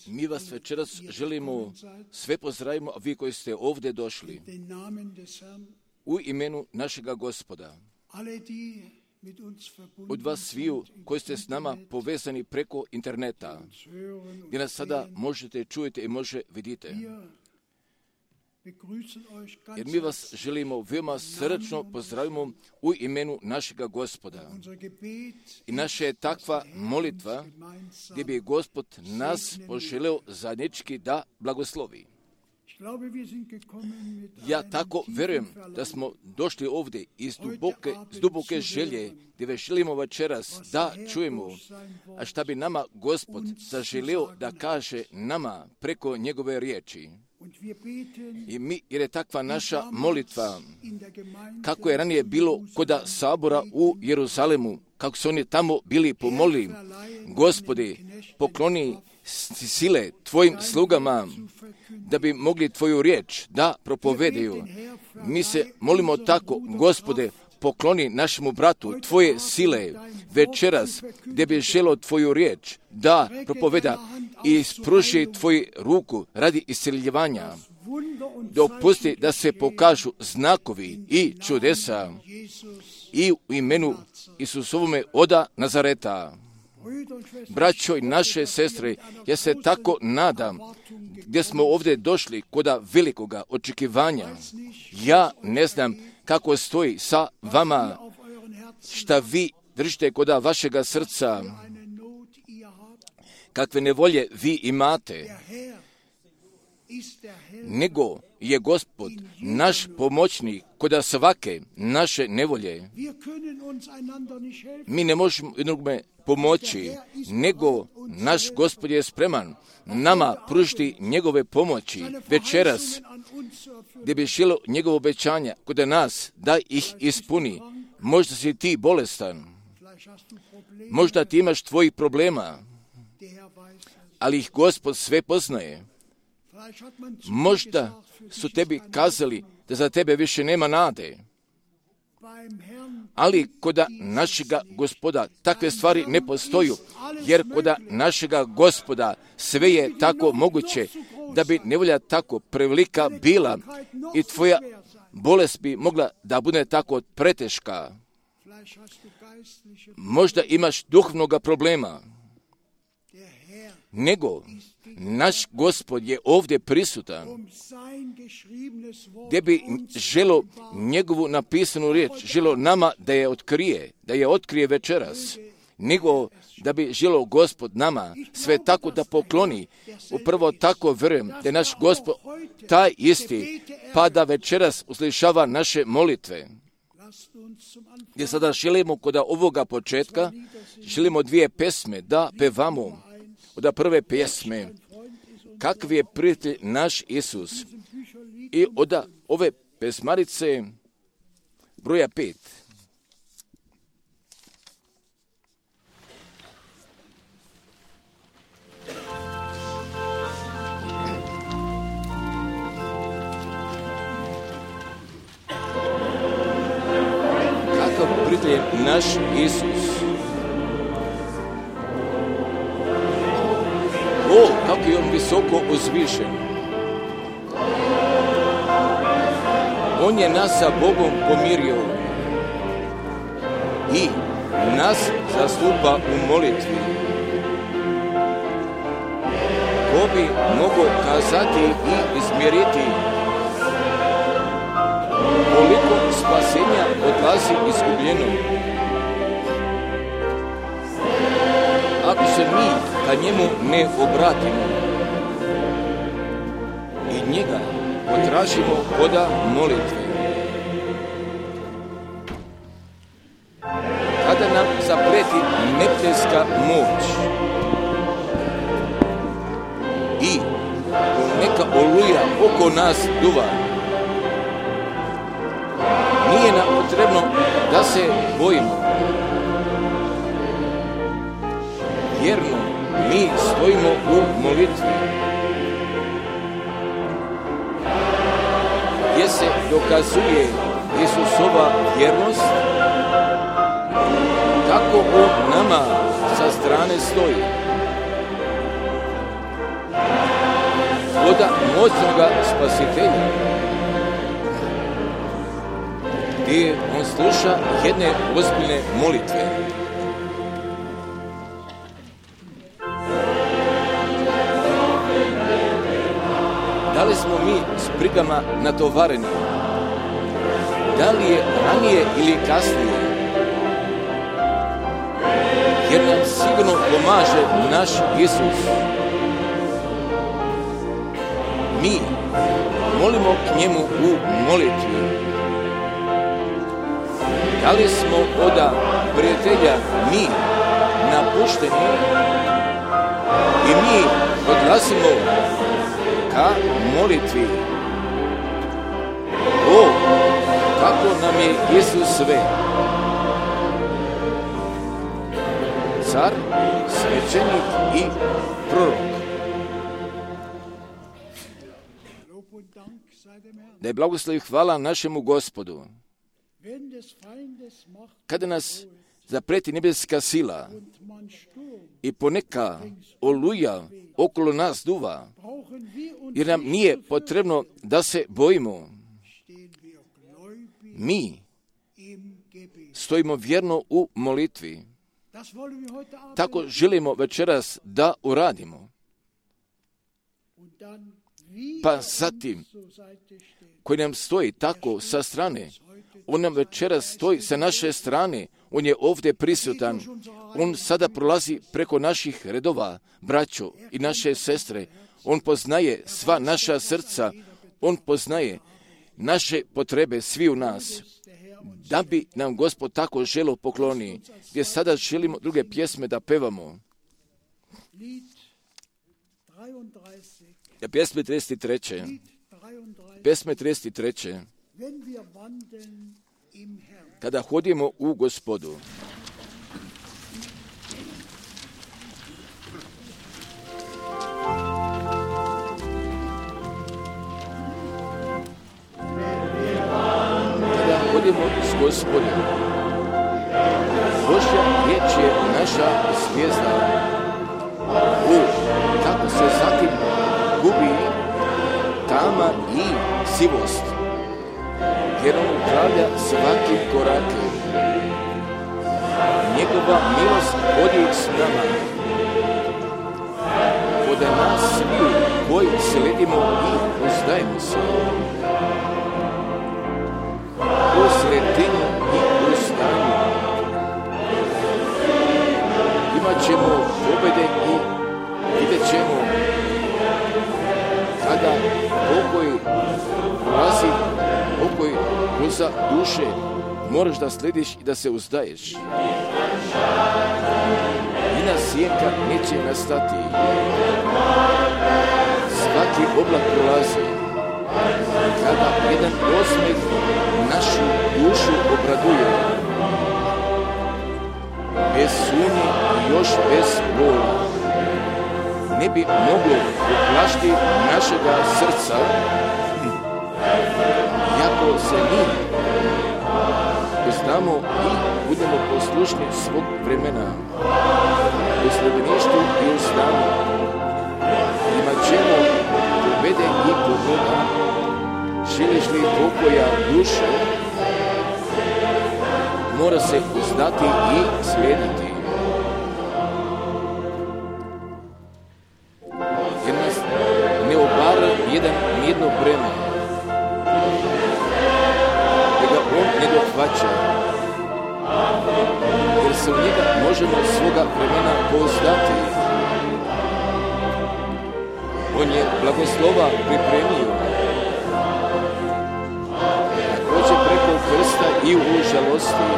Mi vas večeras želimo sve pozdravimo, a vi koji ste ovdje došli, u imenu našega Gospoda. Od vas sviju koji ste s nama povezani preko interneta, gdje nas sada možete čujete i može vidite. Jer mi vas želimo veoma srdačno pozdravimo u imenu našega Gospoda. I naša je takva molitva gdje bi Gospod nas poželeo zajednički da blagoslovi. Ja tako vjerujem da smo došli ovdje iz duboke želje gdje već želimo večeras da čujemo, a šta bi nama Gospod zaželio da kaže nama preko njegove riječi. I mi, jer je takva naša molitva, kako je ranije bilo koda sabora u Jeruzalemu, kako su oni tamo bili pomolili, Gospodi, pokloni sile tvojim slugama, da bi mogli tvoju riječ da propovedaju. Mi se molimo tako, Gospode, pokloni našemu bratu tvoje sile večeras, gdje bi želio tvoju riječ da propoveda i ispruži tvoju ruku radi isceljivanja. Dopusti da se pokažu znakovi i čudesa i u imenu Isusovome oda Nazareta. Braćo i naše sestre, ja se tako nadam gdje smo ovdje došli koda velikoga očekivanja. Ja ne znam kako stoji sa vama, šta vi držite koda vašega srca, kakve nevolje vi imate, nego je Gospod naš pomoćnik koda svake naše nevolje. Mi ne možemo jednome pomoći, nego naš Gospod je spreman nama pružiti njegove pomoći večeras, gdje bi želio njegovo obećanja kod nas da ih ispuni. Možda si ti bolestan, možda ti imaš tvojih problema, ali ih Gospod sve poznaje. Možda su tebi kazali da za tebe više nema nade, ali koda našega Gospoda takve stvari ne postoju, jer koda našega Gospoda sve je tako moguće, da bi nevolja tako prevelika bila i tvoja bolest bi mogla da bude tako preteška. Možda imaš duhovnoga problema, nego naš Gospod je ovdje prisutan, gdje bi želio njegovu napisanu riječ, želio nama da je otkrije večeras, nego da bi želio Gospod nama sve tako da pokloni. Upravo tako vjerujem da je naš Gospod taj isti, pa da večeras uslišava naše molitve. Gdje sada želimo kod ovoga početka, želimo dvije pesme da pevamo. Od prve pjesme, kakvi je prijatelj naš Isus, i od ove pesmarice broja 5. Kakav prijatelj naš Isus. O, kako je on visoko uzvišen. On je nas sa Bogom pomirio i nas zastupa u molitvi. Ko bi mogao kazati i izmjeriti koliko spasenja odlazi izgubljeno? Ako se mi ka njemu ne obratimo i njega potražimo koda molitve, kada nam zapreti neprijateljska moć i neka oluja oko nas duva, nije nam potrebno da se bojimo. Vjerno mi stojimo u molitvi, gdje se dokazuje Isusova vjernost, kako on nama sa strane stoji. oda moćnoga spasitelja, gdje on sluša jedne ozbiljne molitve. Da li smo mi s brigama natovareni? Da li je ranije ili kasnije? Jer nam sigurno pomaže naš Isus. Mi molimo k njemu u molitvi. Da li smo oda prijatelja mi napušteni i mi odlazimo ka molitvi? O, kako nam je Isus sve! Car, svećenik i prorok. Da je blagoslov i hvala našemu Gospodu. Kada nas zapreti nebeska sila i poneka oluja okolo nas duva, jer nam nije potrebno da se bojimo, mi stojimo vjerno u molitvi. Tako želimo večeras da uradimo. Pa zatim, koji nam stoji tako sa strane, on nam večeras stoji sa naše strane, on je ovdje prisutan, on sada prolazi preko naših redova, braćo i naše sestre, on poznaje sva naša srca, on poznaje naše potrebe svi u nas, da bi nam Gospod tako želo pokloni, gdje sada želimo druge pjesme da pevamo. Pjesme 33. Pjesme 33. Kada hodimo u Gospodu. Kada hodimo s Gospodom, Božja riječ je naša zvijezda. Kako se zatim gubi tama i sivost, jer on upravlja svakim korakom. Njegova milost vodi s nama. Od nas svi koji sledimo i uzdajemo se. U sredini i u stanju imat ćemo pobjede i vidjet ćemo kada pokoj prolazi, pokoj uza duše, moraš da slediš i da se uzdaješ. Nina sjenka neće nastati. Svaki oblak prolazi. Kada jedan osmeh našu dušu obraduje. Bez sumnje i još bez bola. Ne bi moglo uplašiti našega srca, iako se mi uznamo i budemo poslušni svog vremena. U sljedbeništvu i u stanju imat ćemo pobjede i pogoda. Želiš li pokoja duše, mora se uzdati i slijediti. Jer nas ne obara nijedno breme, da ga on ne dohvaća, jer se u njega možemo svoga vremena pouzdati. On je blagoslova pripremio, da prođe preko krsta i u žalosti.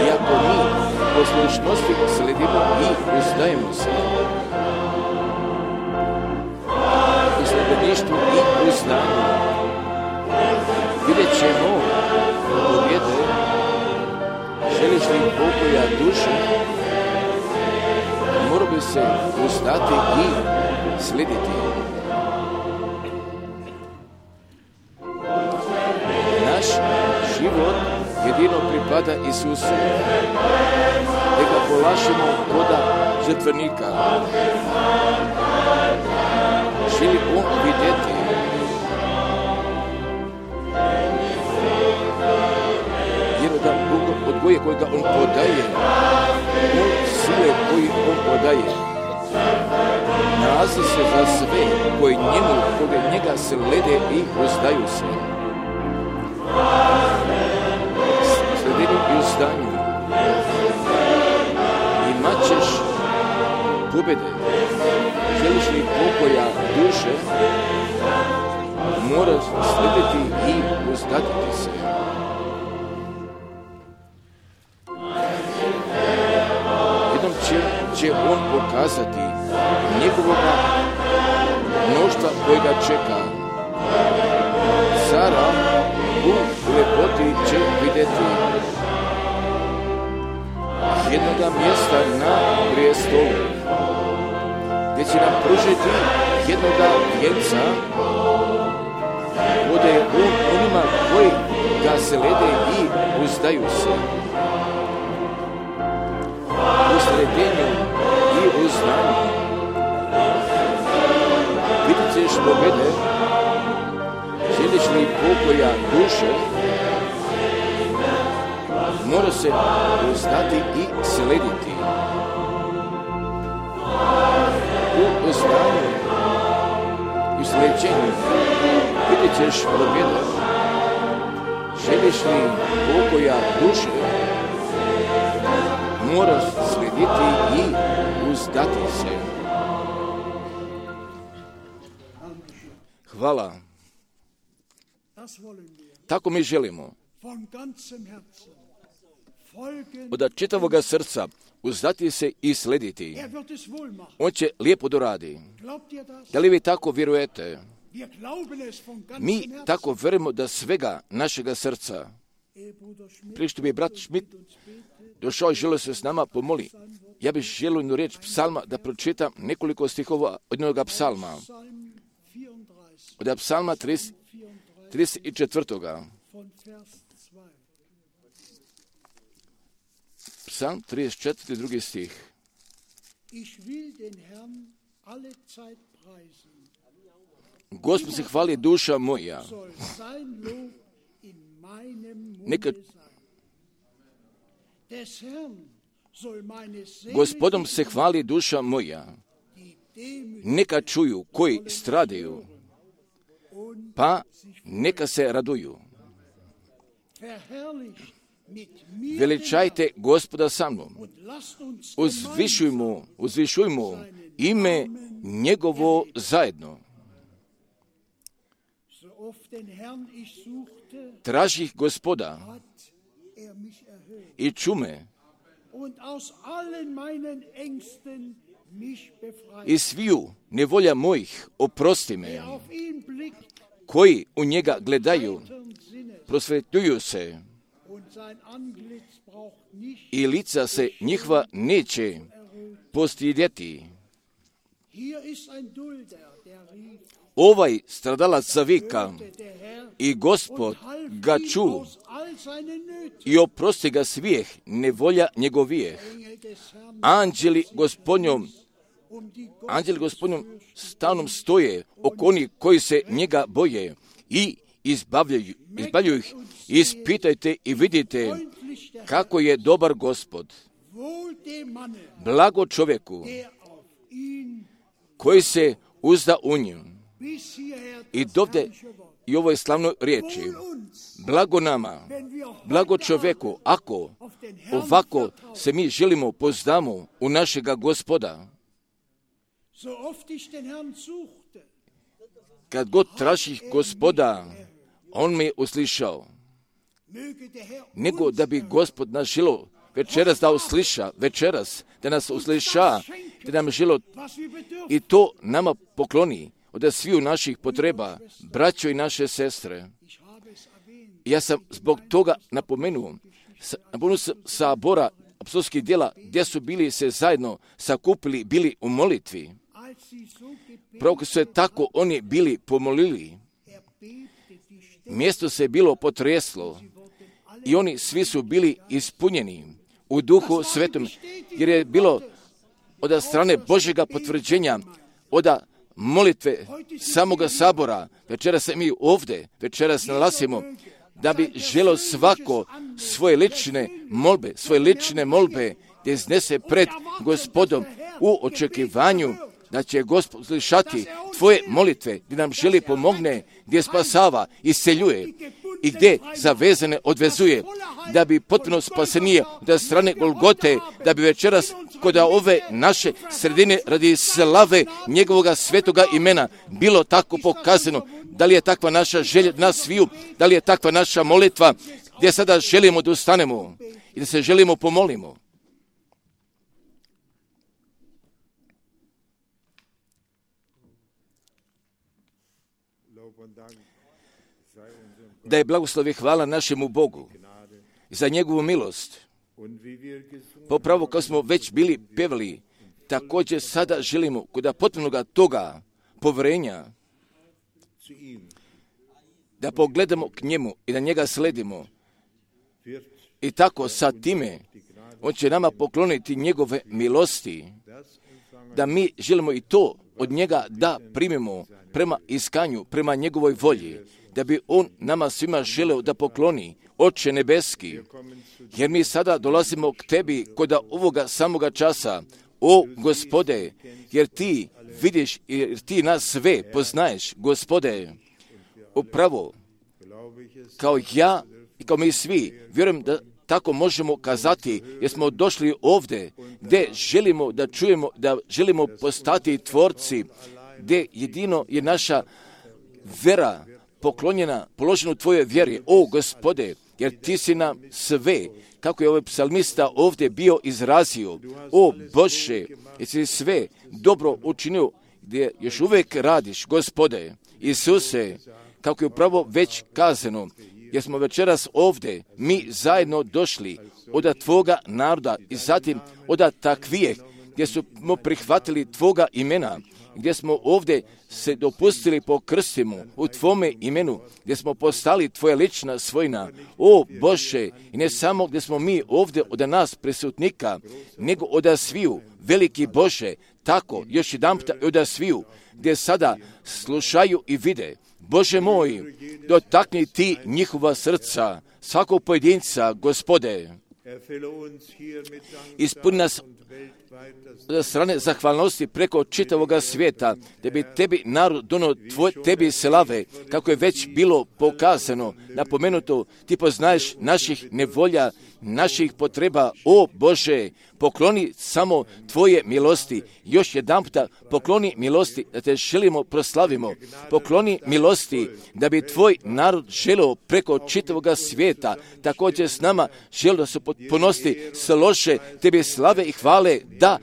Iako mi poslušnosti sledimo i uzdajemo se. U sljedbeništvu i u znanju vidjet ćemo pobjede. Želiš li pokoja duše, mora bi se uzdati i slijediti. Naš život jedino pripada Isusu. Da ga polašimo koda žrtvenika. Želi on vidjeti jedan odgoje kojega on podaje, on sile koji on podaje. Nalazi se za sve koji njega slede i uzdaju se. Sledeni i uzdanju. Imat ćeš pobjede. Želiš li pokoja duše, moraš slediti i uzdatiti se. Jednom će on pokazati njegovoga mnoštva koji ga čeka. Sara u lepoti će vidjeti jednoga mjesta na prijestolu, gdje će nam pružiti jednoga vjenca, bude onima koji ga slede i uzdaju se. U sledenju i uzdanju vidjet ćeš pobjede. Želiš li pokoja duše, mora se uzdati i slediti. U uzdanju i sleđenju vidjet ćeš pobjede. Želiš li pokoja duše, moraš slediti i uzdati se. Hvala. Tako mi želimo. Od čitavoga srca uzdati se i slediti. On će lijepo doradi. Da li vi tako vjerujete? Mi tako vjerujemo da svega našega srca. Prije što bi brat Schmidt došao i želio se s nama pomoli, ja bih želio jednu riječ psalma da pročitam nekoliko stihova od jednoga psalma. Od psalma 34. Psalm 34. drugi stih. Gospod se hvali duša moja. Neka Gospodom se hvali duša moja. Neka čuju koji stradaju, pa neka se raduju. Veličajte Gospoda sa mnom. Uzvišujmo ime njegovo zajedno. Tražih Gospoda i čume i sviju nevolja mojih oprosti me. Koji u njega gledaju, prosvetljuju se i lica se njihova neće postidjeti. Ovaj stradalac zavika i Gospod ga ču i oprosti ga svijeh nevolja njegovijeh. Anđeli stalnom stoje oko onih koji se njega boje i izbavljaju ih. Ispitajte i vidite kako je dobar Gospod. Blago čovjeku koji se uzda u nju. I dovde i ovoj slavnoj riječi. Blago nama, blago čovjeku, ako ovako se mi želimo pozdamo u našega Gospoda. Kad god tražih Gospoda, on me je uslišao. Nego da bi Gospod nas želo večeras da usliša, da nas usliša, da nam želo i to nama pokloni od sviju naših potreba, braćo i naše sestre. Ja sam zbog toga napomenuo sabora apostolskih djela, gdje su bili se zajedno sakupili, bili u molitvi. Pravo su se tako oni bili pomolili. Mjesto se bilo potreslo i oni svi su bili ispunjeni u Duhu Svetom, jer je bilo od strane Božjega potvrđenja, od molitve samoga sabora. Večeras se mi ovdje, večeras nalazimo da bi želo svako svoje lične molbe da iznese pred Gospodom u očekivanju da će Gospod slišati tvoje molitve, gdje nam želi pomogne, gdje spasava, isceljuje i gdje zavezane odvezuje, da bi potpuno spasenije od strane Golgote, da bi večeras kod ove naše sredine radi slave njegovoga svetoga imena bilo tako pokazano. Da li je takva naša želja nas sviju, da li je takva naša molitva, gdje sada želimo da ustanemo i da se želimo pomolimo. Da je blagoslov i hvala našemu Bogu za njegovu milost. Popravo kao smo već bili pevali, također sada želimo kod potpunoga toga povjerenja da pogledamo k njemu i da njega sledimo. I tako sa time on će nama pokloniti njegove milosti, da mi želimo i to od njega da primimo prema iskanju, prema njegovoj volji, da bi on nama svima želeo da pokloni, Oče nebeski, jer mi sada dolazimo k tebi kod ovoga samoga časa, o Gospode, jer ti vidiš, jer ti nas sve poznaješ, Gospode, upravo kao ja i kao mi svi, vjerujem da tako možemo kazati, jer smo došli ovdje gdje želimo da čujemo, da želimo postati tvorci, gdje jedino je naša vera poklonjena, položena u tvojoj vjeri, o Gospode, jer ti si nam sve, kako je ovaj psalmista ovdje bio izrazio, o Bože, jer si sve dobro učinio, gdje još uvijek radiš, Gospode, Isuse, kako je upravo već kazano, jer smo večeras ovdje, mi zajedno došli od tvoga naroda i zatim od takvijeh, gdje smo prihvatili tvoga imena, gdje smo ovdje se dopustili po krstimu u tvome imenu, gdje smo postali tvoja lična svojina, o Bože, i ne samo gdje smo mi ovdje od nas prisutnika, nego od sviju, veliki Bože, tako još jedanputa od sviju, gdje sada slušaju i vide. Bože moj, dotakni ti njihova srca, svakog pojedinca, Gospode. Ispuni nas od strane zahvalnosti preko čitavoga svijeta, da bi tebi narod donio tebi slave, kako je već bilo pokazano, napomenuto, ti poznaješ naših nevolja, naših potreba, o Bože, pokloni samo tvoje milosti, još jedanputa pokloni milosti da te želimo proslavimo, pokloni milosti da bi tvoj narod želio preko čitavoga svijeta, također s nama želio da se ponosti slože tebi slave i hvale, da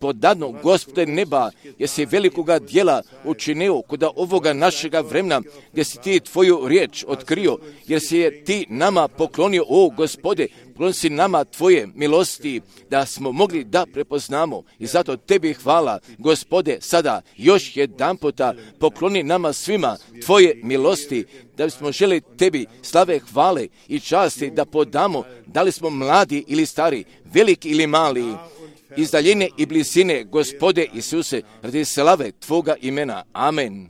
podadno, Gospode neba, jer si velikoga djela učinio kod ovoga našega vremena, gdje si ti tvoju riječ otkrio, jer si je ti nama poklonio, o Gospode, pokloni si nama tvoje milosti, da smo mogli da prepoznamo. I zato tebi hvala, Gospode, sada još jedanputa pokloni nama svima tvoje milosti, da bismo želi tebi slave, hvale i časti da podamo, da li smo mladi ili stari, veliki ili mali, iz daljine i blizine, Gospode Isuse, radi slave tvoga imena. Amen.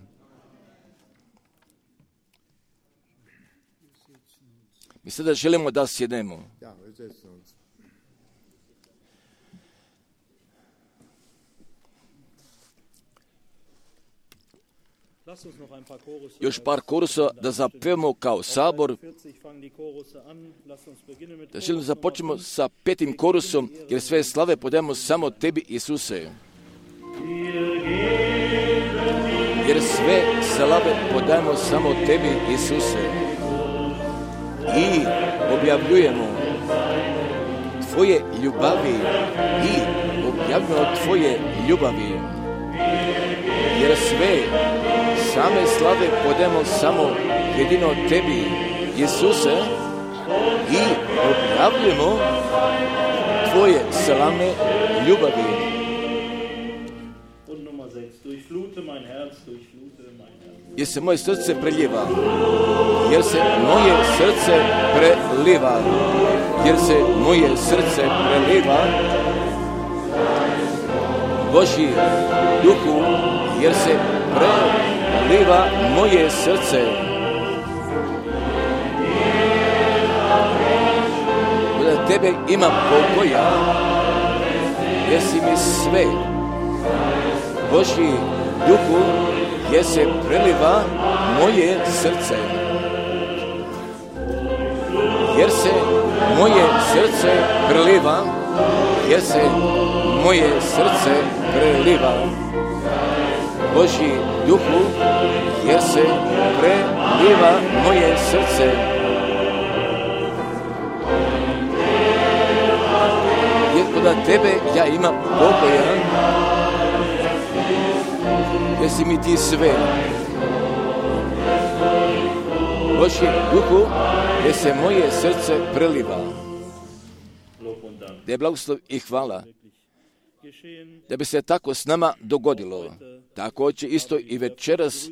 Mi sada želimo da sjednemo. Još par korusa da zapevamo kao sabor. Da želimo započnemo sa 5. korusom, jer sve slave podajemo samo tebi, Isuse. Jer sve slave podajemo samo tebi, Isuse. I objavljujemo tvoje ljubavi i objavljujemo tvoje ljubavi. Jer sve same slave podajemo samo jedino tebi, Isuse, i objavljujemo tvoje slavne ljubavi. Jer se moje srce preliva, jer se moje srce preliva, jer se moje srce preliva, Božji duhu, jer se preliva moje srce. Od tebe ima pokoja, jer si mi sve. Božji duhu, jer se preliva moje srce. Jer se moje srce preliva, jer se moje srce preliva. Božji duhu, jer se preliva moje srce. Jer kod tebe ja imam pokoja, jer si mi ti sve. Božji duhu, jer se moje srce preliva. Da je blagoslov i hvala da bi se tako s nama dogodilo. Također isto i večeras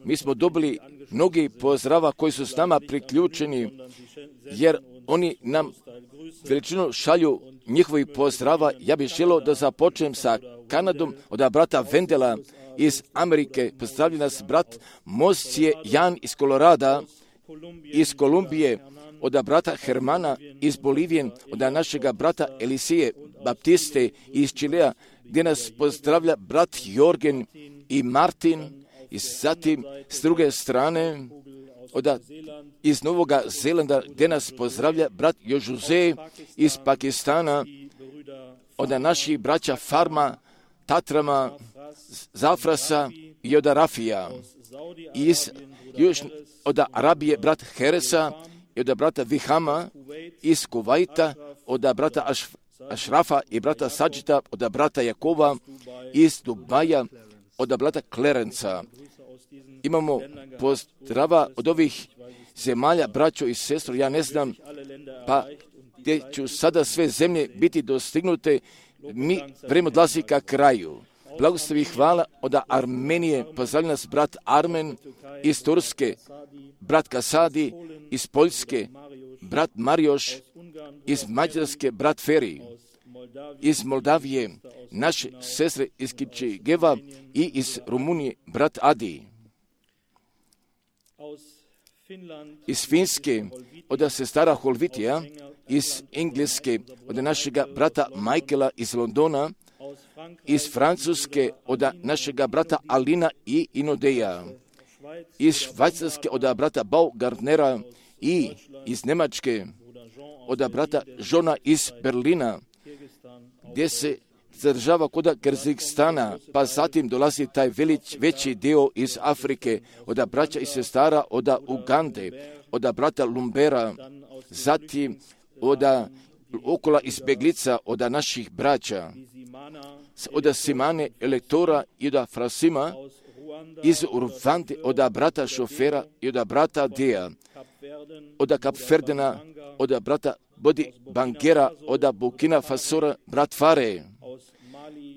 mi smo dobili mnogi pozdrava koji su s nama priključeni, jer oni nam veličinu šalju njihovi pozdrava. Ja bih želio da započnem sa Kanadom od brata Vendela iz Amerike. Pozdravlja nas brat Moscije Jan iz Kolorada, iz Kolumbije, od brata Hermana iz Bolivije, od našega brata Elisije Baptiste iz Čilea, gdje nas pozdravlja brat Jorgen i Martin, i zatim s druge strane iz Novoga Zelanda, gdje nas pozdravlja brat Jožuze iz Pakistana, od naših braća Farma, Tatrama, Zafrasa i od Rafija, od Arabije brat Heresa i od brata Vihama iz Kuvajta, od brata Ašrafa i brata Sadžita, od brata Jakova iz Dubaja, od brata Klerenca. Imamo pozdrava od ovih zemalja, braćo i sestro, ja ne znam, pa gdje ću sada sve zemlje biti dostignute, mi vrijeme odlazi ka kraju. Blagoslov i hvala od Armenije, pozdravlja nas brat Armen iz Turske, brat Kasadi iz Poljske, brat Marioš iz Mađarske, brat Feri iz Moldavije, naše sestre iz Kičegeva i iz Rumunije, brat Adi. Iz Finske, od sestara Holvitija, iz Engleske, od našega brata Michaela iz Londona, iz Francuske, od našega brata Alina i Inodeja, iz Švajcarske, od brata Baugardnera i iz Njemačke, od brata Žona iz Berlina, gdje se zadržava kod Kazahstana, pa zatim dolazi taj veći dio iz Afrike, od braća i sestara, od Ugande, od brata Lumbera, zatim od okolo izbjeglica, od naših braća, od Simane Elektora i od Frasima, iz Urvante, od brata Šofera i od brata Dea, od Kapverdena, od brata Bodi Bangera, od Burkina Fasora, brat Fare,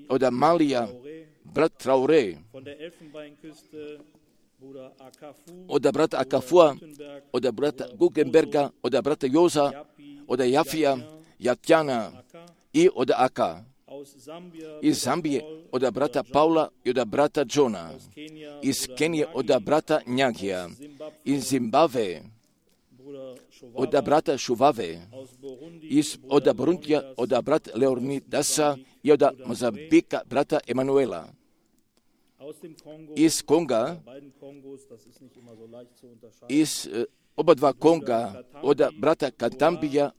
od Malija, brat Traore, od brata Akafua, od brata Guggenberga, od brata Joza, od Jafija, Jatjana i od Aka. Iz Zambije od brata Paula i od brata Johna. Iz Kenije od brata Njagija. Iz Zimbabve od brata Šuvave. Od Burundija od brata Leonidasa i od Mozambika brata Emanuela. Iz Konga, iz oba dva Konga, od brata Katambija,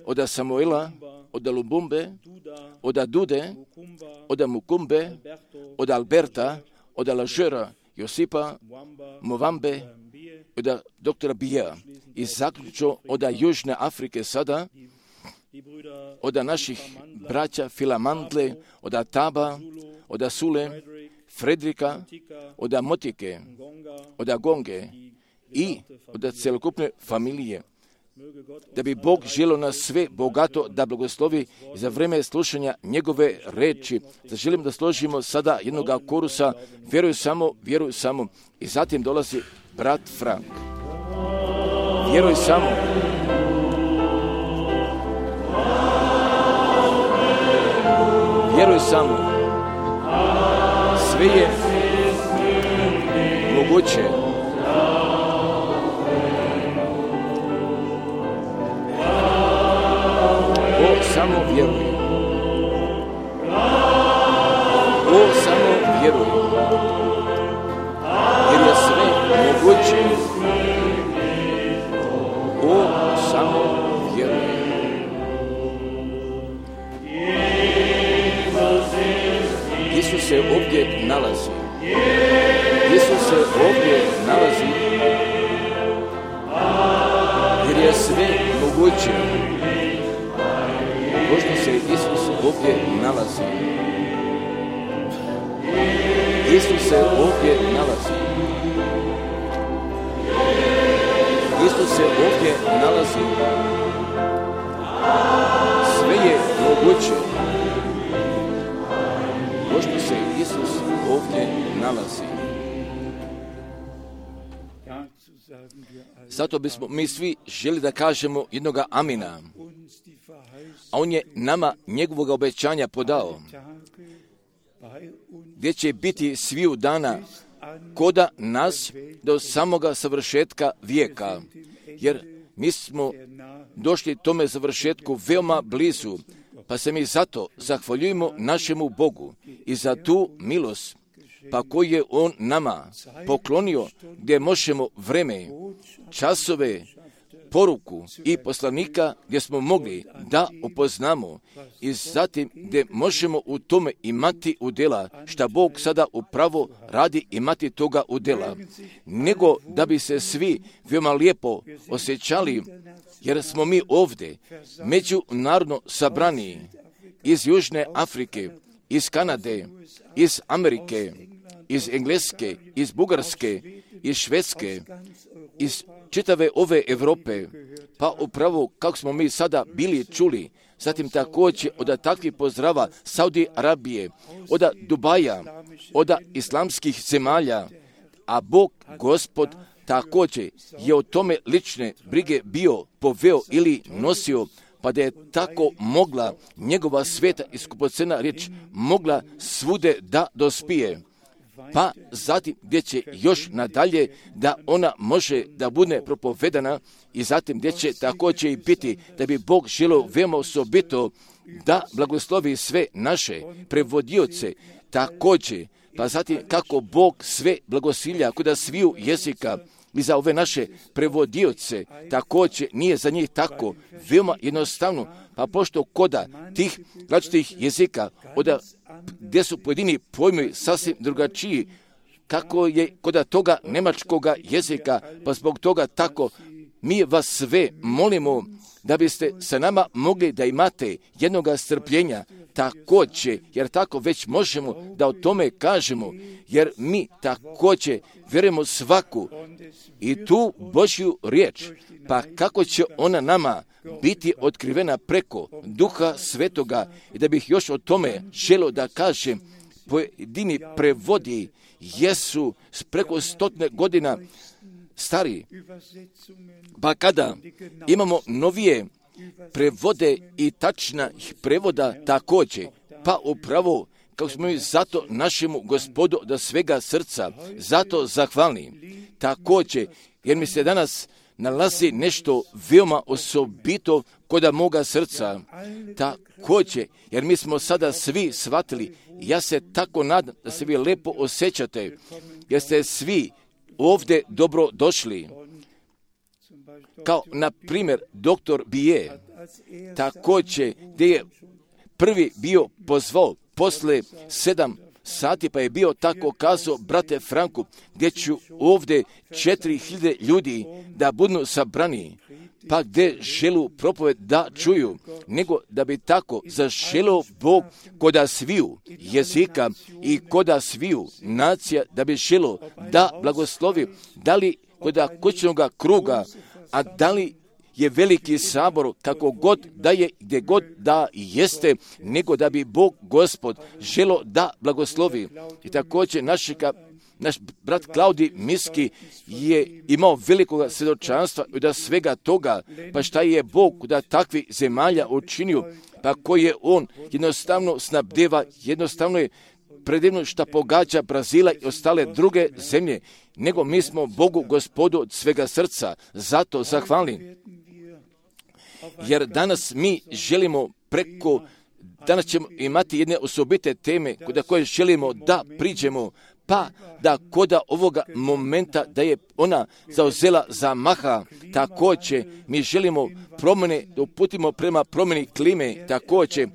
od Samuela, od Lumbumbe, od Dude, od Mukumbe, od Alberta, od Lažera, Josipa, Movambe, od doktora Bija. I zaključno od Južne Afrike sada, od naših braća Filamandle, od Taba, od Sule, Fredrika, od Motike, od Gonge i od celokupne familije. Da bi Bog želio nas sve bogato da blagoslovi za vrijeme slušanja njegove reči. Želim da složimo sada jednoga korusa, vjeruj samo. I zatim dolazi brat Frank. Vjeruj samo. Vjeruj samo. Sve je moguće. O, samo vjeruj. O, samo vjeruj. Jer je sve moguće. O, samo vjeruj. Isus se ovdje nalazi. Isus se ovdje nalazi. Jer je sve moguće. Pošto se Isus ovdje nalazi. Isus se ovdje nalazi. Isus se ovdje nalazi. Sve je moguće. Pošto se Isus ovdje nalazi. Zato bismo mi svi želi da kažemo jednoga amina. A on je nama njegovog obećanja podao. Gdje će biti sviju dana koda nas do samoga savršetka vijeka. Jer mi smo došli tome završetku veoma blizu. Pa se mi zato zahvaljujemo našemu Bogu i za tu milost, pa koju je On nama poklonio, gdje možemo vreme, časove, poruku i poslanika gdje smo mogli da upoznamo i zatim gdje možemo u tome imati udjela, šta Bog sada upravo radi imati toga udjela, nego da bi se svi veoma lijepo osjećali, jer smo mi ovdje međunarodno sabrani iz Južne Afrike, iz Kanade, iz Amerike, iz Engleske, iz Bugarske, iz Švedske, iz čitave ove Europe, pa upravo kako smo mi sada bili čuli, zatim također od takvih pozdrava Saudi Arabije, od Dubaja, od islamskih zemalja, a Bog Gospod također je o tome lične brige bio poveo ili nosio, pa da je tako mogla njegova sveta i skupocena riječ mogla svude da dospije. Pa zatim gdje će još nadalje da ona može da bude propovedana i zatim gdje će također i biti da bi Bog želio veoma osobito da blagoslovi sve naše prevodioce također, pa zatim kako Bog sve blagosilja kod sviju jezika i za ove naše prevodioce također nije za njih tako veoma jednostavno, pa pošto koda tih različitih jezika gdje su pojedini pojmovi sasvim drugačiji, kako je koda toga njemačkoga jezika, pa zbog toga tako mi vas sve molimo da biste sa nama mogli da imate jednoga strpljenja također, jer tako već možemo da o tome kažemo, jer mi također vjerujemo svaku i tu Božju riječ, pa kako će ona nama biti otkrivena preko Duha Svetoga, i da bih još o tome želio da kažem, pojedini prevodi jesu preko 100 godina stari, pa kada imamo novije prevode i tačna prevoda također, pa upravo kako smo mi zato našemu Gospodu da svega srca zato zahvalni. Također, jer mi se danas nalazi nešto veoma osobito kod moga srca. Također, jer mi smo sada svi shvatili, ja se tako nadam da se vi lepo osjećate, jer ste svi ovdje dobro došli. Kao, na primjer, doktor Bije, također, gdje je prvi bio pozvao posle 7 sati, pa je bio tako kazao, brate Franku, gdje ću ovdje 4000 ljudi da budu sabrani, pa gdje želu propoved da čuju, nego da bi tako zaželio Bog koda sviju jezika i koda sviju nacija, da bi želio da blagoslovi, da li koda kućnog kruga, a da li je veliki sabor, kako god da je, gdje god da jeste, nego da bi Bog Gospod želo da blagoslovi. I također našega naš brat Klaudij Miski je imao velikog svjedočanstva da svega toga, pa šta je Bog da takvi zemalja učinio, pa koje on jednostavno snabdeva, jednostavno je predivno šta pogađa Brazila i ostale druge zemlje, nego mi smo Bogu Gospodu od svega srca zato zahvalni. Jer danas mi želimo danas ćemo imati jedne osobite teme koje želimo da priđemo, pa da koda ovoga momenta da je ona zauzela zamaha, također mi želimo promjene, da uputimo prema promjeni klime, također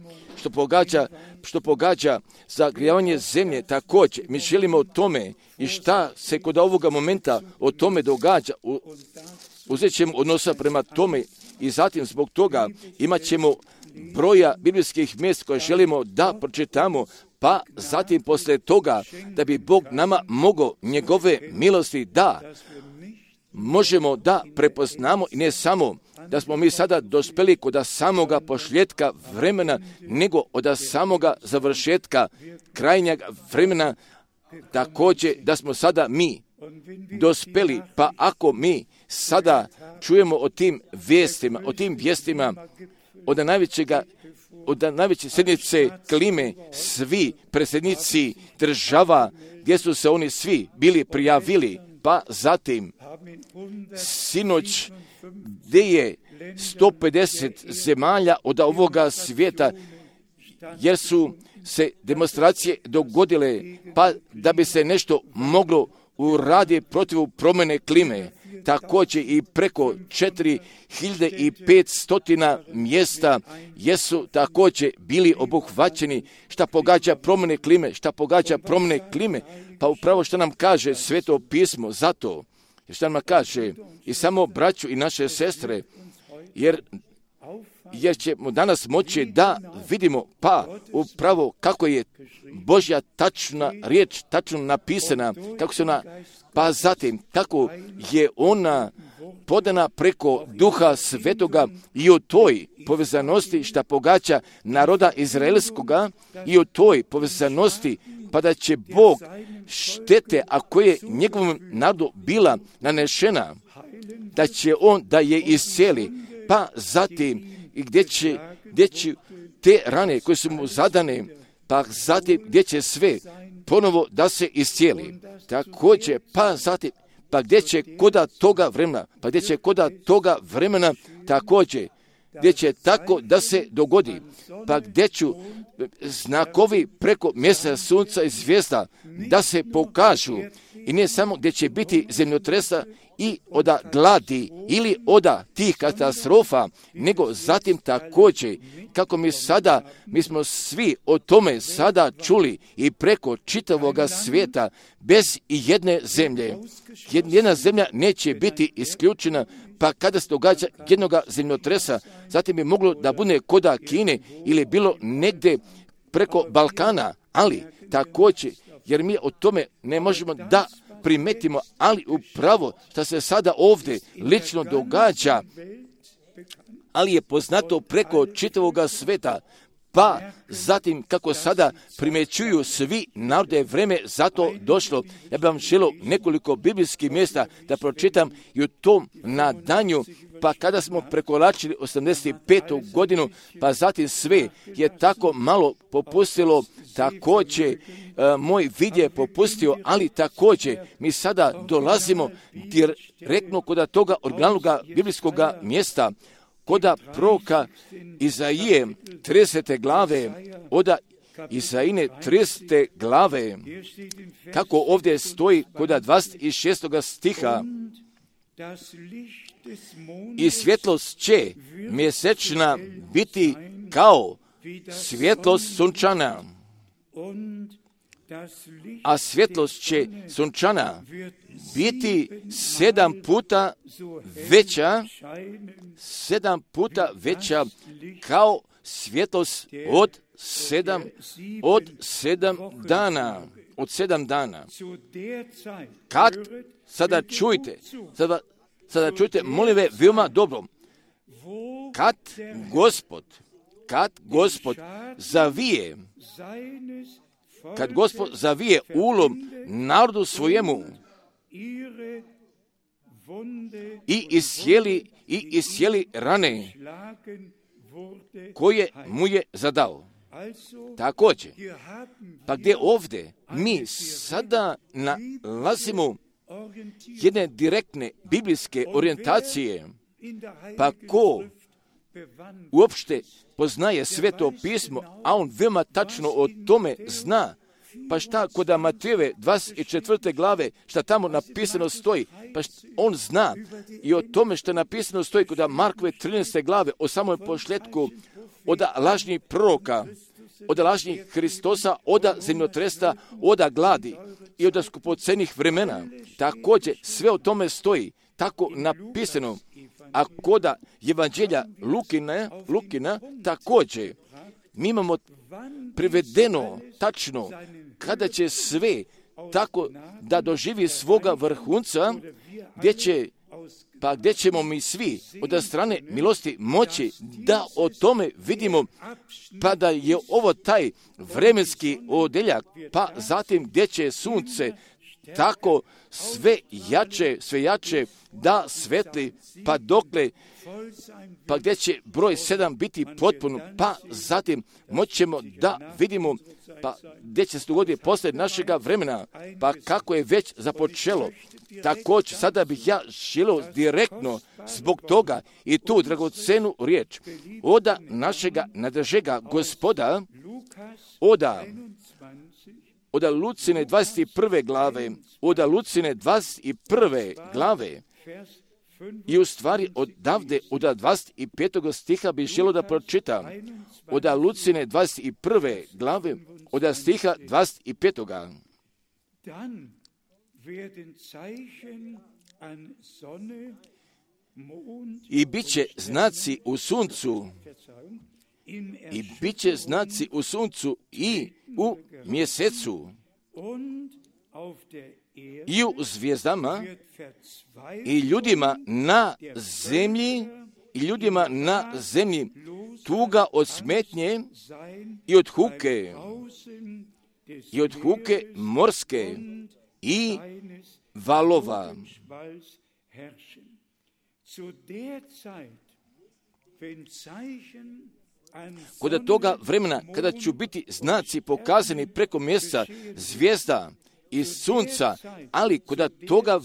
što pogađa zagrijavanje zemlje, također mi želimo o tome i šta se kod ovoga momenta o tome događa, uzet ćemo odnosa prema tome i zatim zbog toga imat ćemo broja biblijskih mjesta koje želimo da pročitamo, pa zatim poslije toga da bi Bog nama mogao njegove milosti da možemo da prepoznamo i ne samo da smo mi sada dospeli kod samoga pošljetka vremena, nego od samoga završetka krajnjeg vremena, također da smo sada mi dospeli, pa ako mi sada čujemo o tim vijestima, od najveće sjednice klime, svi predsjednici država, gdje su se oni svi bili prijavili, pa zatim sinoć gdje je 150 zemalja od ovoga svijeta, jer su se demonstracije dogodile, pa da bi se nešto moglo uraditi protiv promjene klime. Također i preko 4500 mjesta jesu također bili obuhvaćeni šta pogađa promjene klime, pa upravo što nam kaže Sveto pismo zato, što nam kaže i samo braću i naše sestre, jer ćemo danas moći da vidimo pa upravo kako je Božja tačna riječ, tačno napisana, kako se ona, pa zatim kako je ona podana preko Duha Svetoga i o toj povezanosti šta pogađa naroda Izraelskoga i o toj povezanosti pa da će Bog štete ako je njegovom narodu bila nanešena, da će on da je iscijeli, pa zatim i gdje će te rane koje su mu zadane, pa zatim gdje će sve ponovo da se iscijeli. Također, pa zatim, pa gdje će koda toga vremena, također, gdje će tako da se dogodi, pa gdje ću znakovi preko mjeseca, sunca i zvijezda da se pokažu i ne samo gdje će biti zemljotresa i oda gladi ili oda tih katastrofa, nego zatim također, kako mi smo svi o tome sada čuli i preko čitavoga svijeta, bez i jedne zemlje. Jedna zemlja neće biti isključena, pa kada se događa jednoga zemljotresa, zatim bi moglo da bude koda Kine ili bilo negdje preko Balkana, ali također, jer mi o tome ne možemo da primetimo, ali upravo što se sada ovdje lično događa, ali je poznato preko čitavoga sveta, pa zatim kako sada primećuju svi narode, vreme zato došlo. Ja bih vam želio nekoliko biblijskih mjesta da pročitam i u tom nadanju, pa kada smo prekoračili 85. godinu, pa zatim sve je tako malo popustilo, također moj vid je popustio, ali također mi sada dolazimo direktno kod toga originalnog biblijskog mjesta, koda proroka Izaije 30. glave, oda Isaine 30. glave, kako ovdje stoji koda 26. stiha, i svjetlost će mjesečna biti kao svjetlost sunčana, a svjetlost će sunčana biti 7 puta veća kao svjetlost od 7 dana. Kad, sada čujte, molim ve, veoma dobro, kad Gospod zavije kad Gospod zavije ulom narodu svojemu i iscijeli rane koje mu je zadao. Također, pa gdje ovdje mi sada nalazimo jedne direktne biblijske orijentacije, pa ko uopšte poznaje Sveto pismo, a on veoma tačno o tome zna, pa šta kod Matejeve 24. glave, šta tamo napisano stoji, pa on zna i o tome što napisano stoji kod Markove 13. glave, o samom pošletku, od lažnih proroka, od lažnih Hristosa, od zemljotresa, od gladi i od skupocenih vremena. Također, sve o tome stoji, tako napisano. A kod Evanđelja Lukina također, mi imamo prevedeno tačno kada će sve tako da doživi svoga vrhunca, gdje ćemo mi svi od strane milosti moći da o tome vidimo, pa da je ovo taj vremenski odeljak, pa zatim gdje će sunce tako sve jače da svetli, pa dokle, pa gdje će broj 7 biti potpuno, pa zatim moćemo da vidimo, pa gdje će se dogoditi poslije našega vremena, pa kako je već započelo. Također, sada bih ja želio direktno zbog toga i tu dragocenu riječ od našega nadražega Gospoda, od Lucine 21. glave, od Lucine 21. glave, i u stvari odavde, od 25. stiha bih želio da pročitam, od Lucine 21. glave, od stiha 25. I bit će znaci u suncu, i bit će znaci u suncu i u mjesecu i u zvijezdama i ljudima na zemlji tuga od smetnje i od huke morske i valova. Kod toga vremena, kada će biti znaci pokazani preko mjeseca, zvijezda i sunca, ali kod toga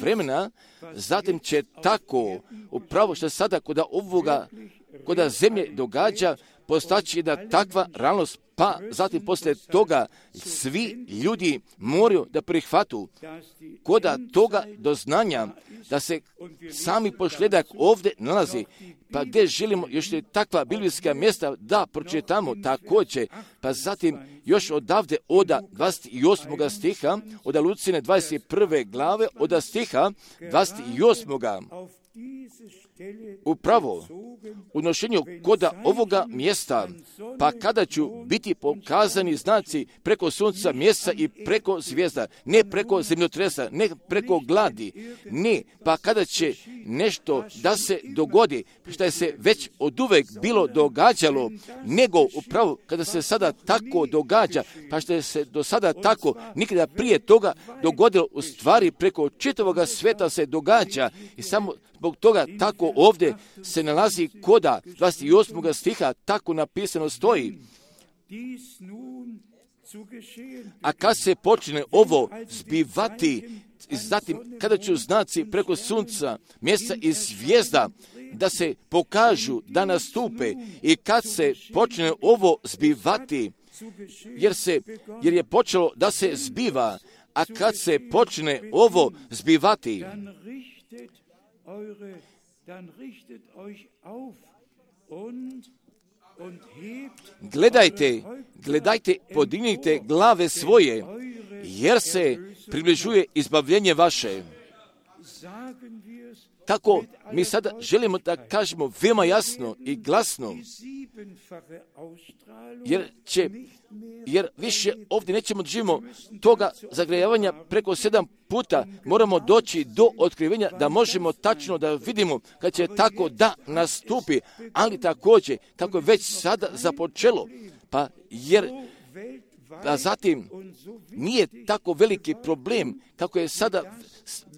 vremena, zatim će tako, upravo što sada kod zemlje događa, postaći da takva realnost, pa zatim poslije toga svi ljudi moraju da prihvatu kod toga doznanja da se sami pošljedak ovdje nalazi, pa gdje želimo još takva biblijska mjesta da pročitamo također, pa zatim još odavde od 28. stiha, od Lucine 21. glave, od stiha 28. Upravo u nošenju koda ovoga mjesta, pa kada ću biti pokazani znaci preko sunca, mjeseca i preko zvijezda, ne preko zemljotresa, ne preko gladi, ne, pa kada će nešto da se dogodi, što je se već oduvek bilo događalo, nego upravo kada se sada tako događa, pa što je se do sada tako nikada prije toga dogodilo, u stvari preko čitavoga sveta se događa i samo zbog toga tako ovdje se nalazi koda 28. stiha, tako napisano stoji. A kad se počne ovo zbivati, zatim kada će znaci preko sunca, mjeseca i zvijezda da se pokažu, da nastupe, i kad se počne ovo zbivati, jer je počelo da se zbiva, a kad se počne ovo zbivati, gledajte, podignite glave svoje, jer se približuje izbavljenje vaše. Tako mi sada želimo da kažemo veoma jasno i glasno, jer više ovdje nećemo doživimo toga zagrejavanja preko 7 puta, moramo doći do otkrivenja da možemo tačno da vidimo kad će tako da nastupi, ali također kako je već sada započelo, pa a zatim nije tako veliki problem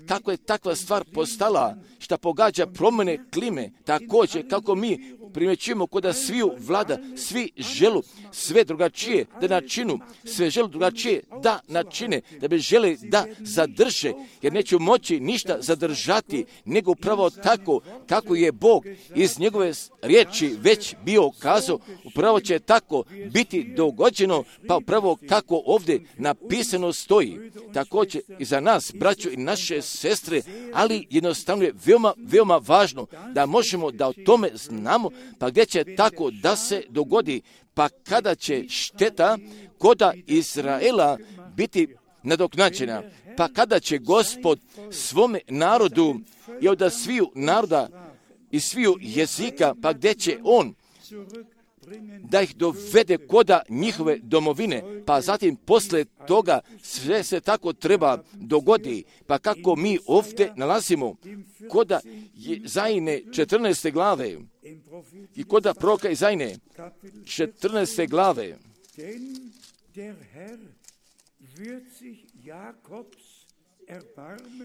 kako je takva stvar postala, što pogađa promjene klime, također kako mi primjećujemo kod sviju vlada, svi želu sve drugačije da načinu, sve želu drugačije da načine, da bi žele da zadrže, jer neću moći ništa zadržati, nego upravo tako kako je Bog iz njegove riječi već bio kazao, upravo će tako biti dogođeno, pa upravo kako ovdje napisano stoji. Također i za nas, braćo i naše sestre, ali jednostavno je veoma, veoma važno da možemo da o tome znamo, pa gdje će tako da se dogodi, pa kada će šteta koda Izraela biti nadoknađena, pa kada će Gospod svome narodu i od sviju naroda i sviju jezika, pa gdje će on da ih dovede koda njihove domovine, pa zatim posle toga sve se tako treba dogodi, pa kako mi ovdje nalazimo koda Izajine 14. glave i koda proroka Izajine 14. glave.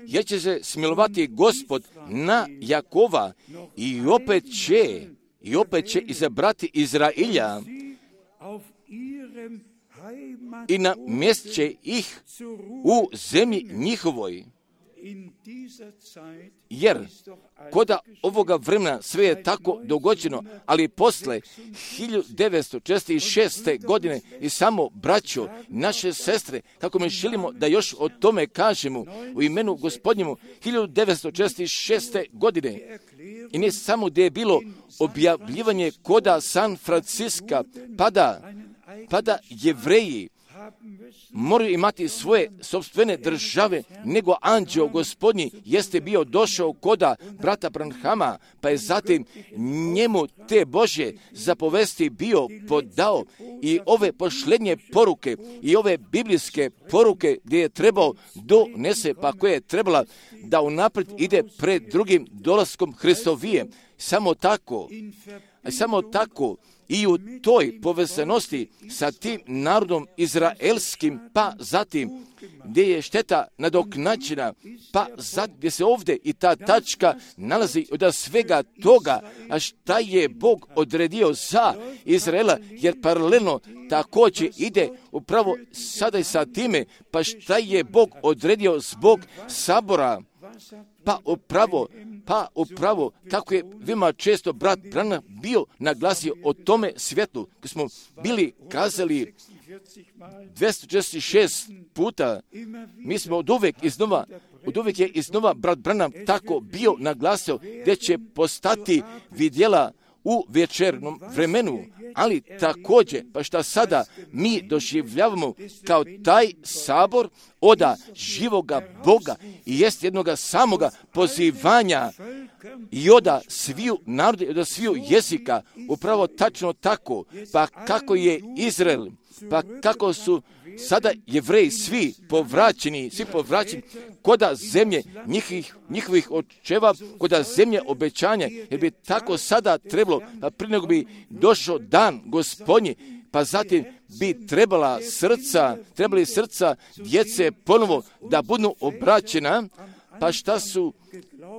Jer će se smilovati Gospod na Jakova i opet će izabrati Izrailja i namjestit će ih u zemlji njihovoj. Jer koda ovoga vremena sve je tako dogođeno, ali posle 1946. godine i samo braćo, naše sestre, kako mi želimo da još o tome kažemo u imenu Gospodnjemu, 1946. godine i ne samo gdje je bilo objavljivanje koda San Franciska, pada Jevreji moraju imati svoje sopstvene države, nego anđeo Gospodnji jeste bio došao koda brata Branhama, pa je zatim njemu te Božje zapovesti bio podao i ove pošlednje poruke i ove biblijske poruke gdje je trebao donese, pa koje je trebala da unaprijed ide pred drugim dolaskom Hristovije. Samo tako i u toj povezanosti sa tim narodom izraelskim, pa zatim gdje je šteta nadoknađena, pa zatim gdje se ovdje i ta tačka nalazi od svega toga, a šta je Bog odredio za Izraela, jer paralelno također ide upravo sada i sa time, pa šta je Bog odredio zbog sabora, pa upravo kako je veoma često brat Branham bio naglasio o tome svjetlu, kad smo bili kazali 246 puta, mi smo od uvijek je iznova brat Branham tako bio naglasio gdje će postati vidjela u večernom vremenu, ali također, pa šta sada mi doživljavamo kao taj sabor oda živoga Boga i jest jednoga samoga pozivanja i oda sviju naroda i oda sviju jezika, upravo tačno tako, pa kako je Izrael, pa kako su sada Jevreji svi povraćeni koda zemlje njihovih očeva, koda zemlje obećanja, jer bi tako sada trebalo, pa prije nego bi došao dan Gospodnji, pa zatim bi trebali srca djece ponovo da budu obraćena, pa šta su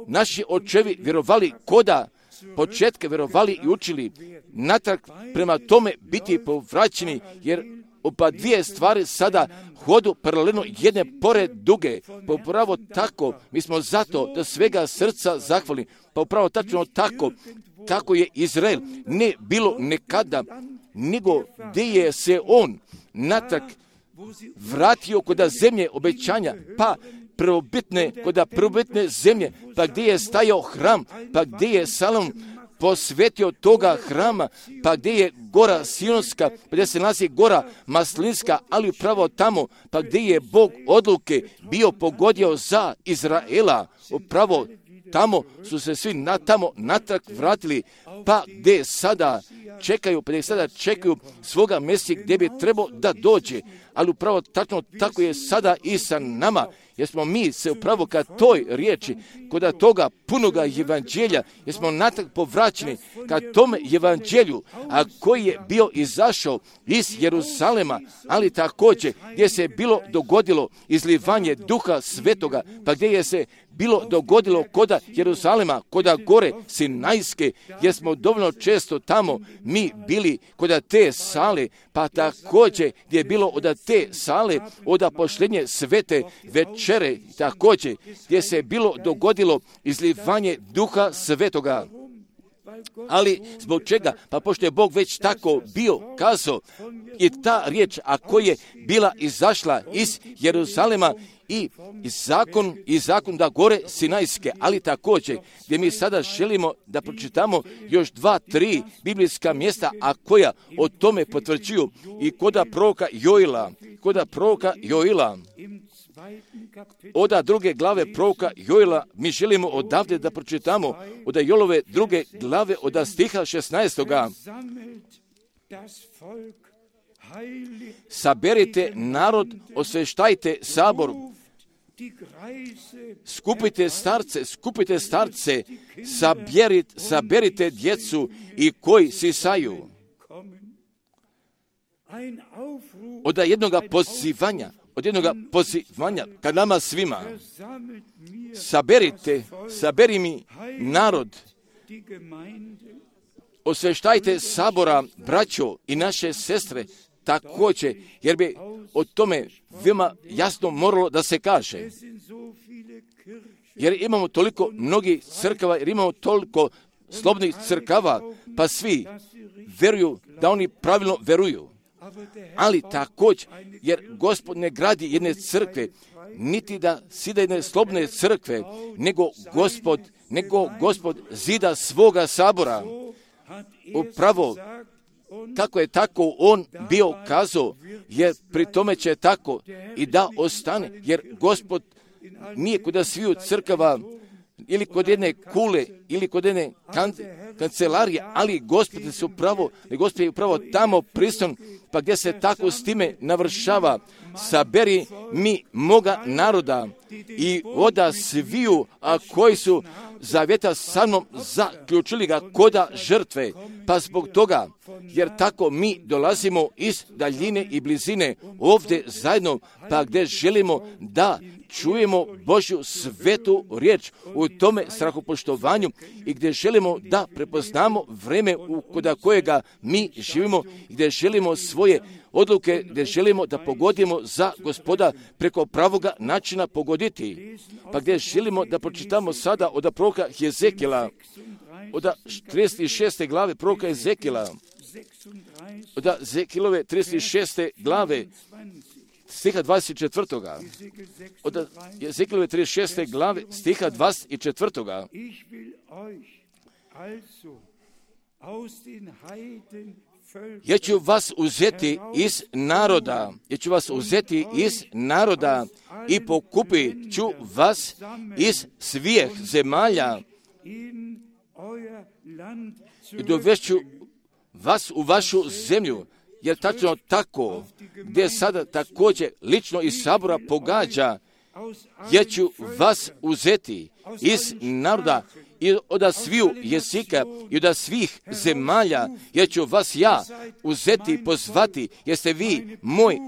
naši očevi vjerovali koda početka vjerovali i učili natrag prema tome biti povraćeni, jer oba dvije stvari sada hodu paralelno jedne pored druge. Pa upravo tako, mi smo zato da svega srca zahvali, pa upravo tačno tako, kako je Izrael ne bilo nekada, nego gdje je se on natrag vratio koda zemlje obećanja, pa koda prvobitne zemlje, pa gdje je stajao hram, pa gdje je Salom posvetio toga hrama, pa gdje je gora Sionska, pa gdje se nalazi gora Maslinska, ali upravo tamo, pa gdje je Bog odluke bio pogodio za Izraela, upravo tamo su se svi natrag vratili, pa gdje sada čekaju svoga Mesija gdje bi trebao da dođe, ali upravo tako je sada i sa nama, jer smo mi se upravo ka toj riječi, kod toga punoga evanđelja, jer smo natrag povraćeni ka tome evanđelju, a koji je bio izašao iz Jeruzalema, ali također gdje se bilo dogodilo izlivanje Duha Svetoga, pa gdje je se bilo dogodilo koda Jeruzalema, koda gore Sinajske, jer smo dovoljno često tamo mi bili koda te sale, pa također gdje je bilo od te sale, od poštenje svete večere, također gdje se bilo dogodilo izlivanje Duha Svetoga. Ali zbog čega? Pa pošto je Bog već tako bio kazao i ta riječ, a koja je bila izašla iz Jeruzalema i zakon da gore Sinajske, ali također gdje mi sada želimo da pročitamo još 2-3 biblijska mjesta, a koja o tome potvrđuju i koda proroka Joila, od 2. glave proroka Joila, mi želimo odavde da pročitamo od Joilove 2. glave od stiha 16. Saberite narod, osveštajte sabor, skupite starce, saberite djecu i koji sisaju. Od jednoga pozivanja ka nama svima. Saberi mi narod, osveštajte sabora, braćo i naše sestre, također, jer bi o tome veoma jasno moralo da se kaže. Jer imamo toliko mnogih crkava, jer imamo toliko slobodnih crkava, pa svi veruju da oni pravilno veruju. Ali također, jer Gospod ne gradi jedne crkve, niti da sida jedne slobodne crkve, nego Gospod zida svoga sabora. Upravo kako je tako on bio kazao, jer pri tome će tako i da ostane, jer Gospod nije kod sviju crkava ili kod jedne kule ili kod jedne kancelarije, ali Gospod je upravo tamo prisutan, pa gdje se tako s time navršava. Saberi mi moga naroda i oda sviju, a koji su zavjeta sa mnom zaključili ga koda žrtve. Pa zbog toga, jer tako mi dolazimo iz daljine i blizine ovdje zajedno, pa gdje želimo da čujemo Božju svetu riječ u tome strahopoštovanju i gdje želimo da prepoznamo vreme koda kojega mi živimo, gdje želimo svoje odluke, gdje želimo da pogodimo za Gospoda preko pravoga načina pogoditi. Pa gdje želimo da pročitamo sada od proroka Jezekijela, od 36. glave proroka Jezekijela, od Jezekijelove 36. glave stiha 24. Od Jezekijelove 36. glave stiha 24. Ja ću vas uzeti iz naroda i pokupit ću vas iz svih zemalja i dovešću vas u vašu zemlju, jer tačno tako, gdje sada također lično iz sabora pogađa, ja ću vas uzeti iz naroda i od sviju jezika i od svih zemalja, ja ću vas uzeti i pozvati, jeste vi moj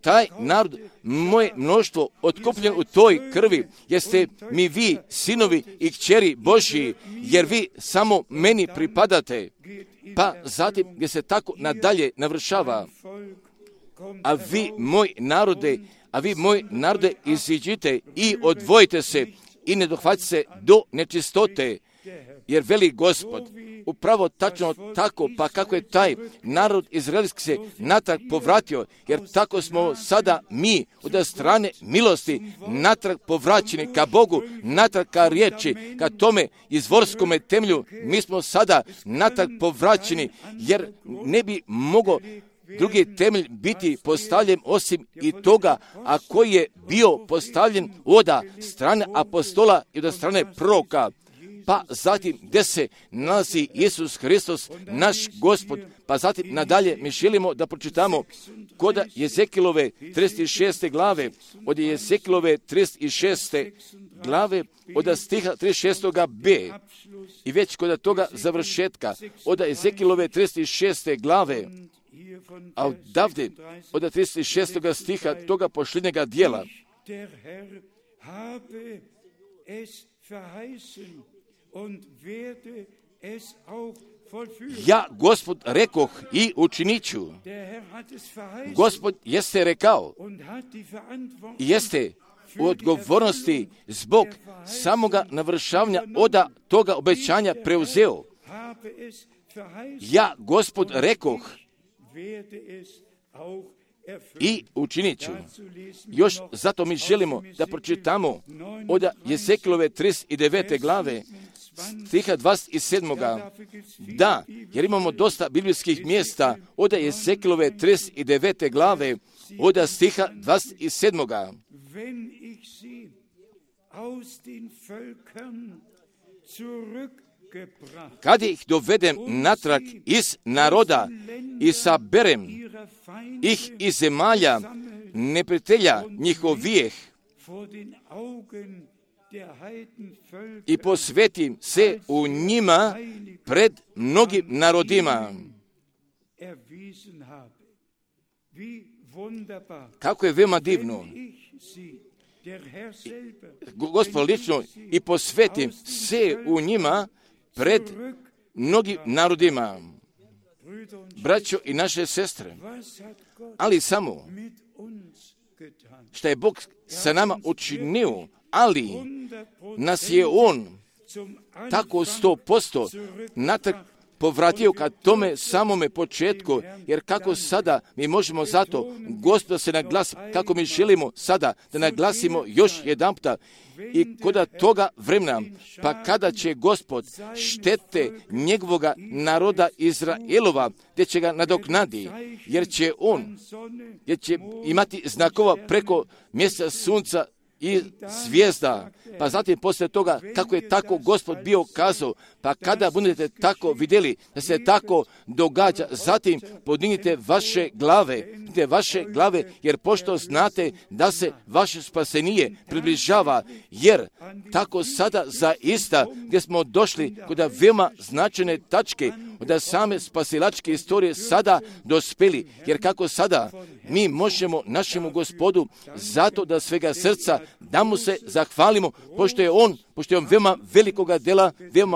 taj narod, moje mnoštvo otkupljen u toj krvi, jeste mi vi sinovi i kćeri Božji, jer vi samo meni pripadate. Pa zatim gdje se tako nadalje navršava, a vi moj narode iziđite i odvojite se i ne dohvatite se do nečistote, jer veli Gospod, upravo tačno tako, pa kako je taj narod izraelski se natrag povratio, jer tako smo sada mi od strane milosti natrag povraćeni ka Bogu, natrag ka riječi, ka tome izvorskome temelju, mi smo sada natrag povraćeni, jer ne bi mogao drugi temelj biti postavljen osim i toga, a koji je bio postavljen od strane apostola i od strane proroka. pa zatim gdje se nalazi Isus Hristos, naš Gospod, pa zatim nadalje mi želimo da pročitamo kod Jezekilove 36. glave, od Jezekilove 36. glave, od stiha 36. b. I već kod toga završetka, od Jezekilove 36. glave, a odavde, od 36. stiha toga posljednjega dijela, ja, Gospod, rekoh i učinit ću. Gospod jeste rekao i jeste u odgovornosti zbog samoga navršavanja od toga obećanja preuzeo. Ja, Gospod, rekoh i učinit ću. Još zato mi želimo da pročitamo od Jezekilove 39. glave, stiha 27. Da, jer imamo dosta biblijskih mjesta od Jezekilove 39. glave, od stiha 27. Kad ih dovedem natrag iz naroda i saberem ih iz zemalja neprijatelja njihovijeh i posvetim se u njima pred mnogim narodima. Kako je veoma divno. Gospod lično i posvetim se u njima pred mnogim narodima. Braćo i naše sestre, ali samo što je Bog sa nama učinio, ali nas je On tako 100% natrag povratio ka tome samome početku, jer kako sada mi možemo zato Gospoda se naglasi, kako mi želimo sada da naglasimo još jedanputa i kod toga vremena, pa kada će Gospod štete njegovoga naroda Izraelova, gdje će ga nadoknadi, jer će imati znakova preko mjeseca, sunca i zvijezda. Pa zatim poslije toga, kako je tako Gospod bio kazao, pa kada budete tako vidjeli da se tako događa, zatim podignite vaše glave, jer pošto znate da se vaše spasenije približava, jer tako sada zaista gdje smo došli kod veoma značajne tačke od same spasilačke istorije sada dospeli, jer kako sada mi možemo našemu Gospodu zato da svega srca da mu se zahvalimo, pošto je on veoma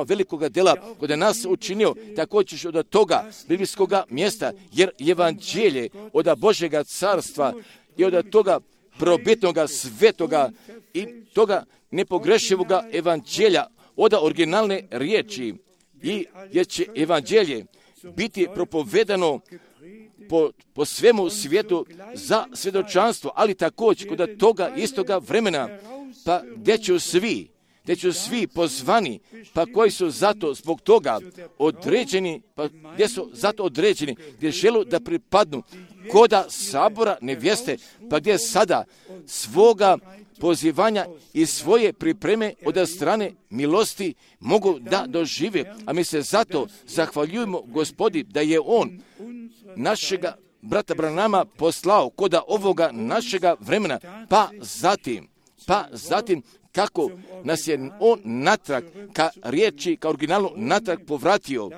velikoga dela kod nas učinio, također od toga biblijskoga mjesta, jer evanđelje od Božjega carstva i od toga probitnoga, svetoga i toga nepogrešivoga evanđelja, od originalne riječi, i jer će evanđelje biti propovedano po svemu svijetu za svjedočanstvo, ali također kod toga istoga vremena, pa gdje će svi pozvani, pa koji su zato zbog toga određeni, pa gdje su zato određeni, gdje žele da pripadnu koda sabora nevjeste, pa gdje sada svoga pozivanja i svoje pripreme od strane milosti mogu da dožive, a mi se zato zahvaljujemo Gospodi da je On našega brata Branama poslao koda ovoga našega vremena, pa zatim kako nas je On natrag ka riječi, ka originalu natrag povratio.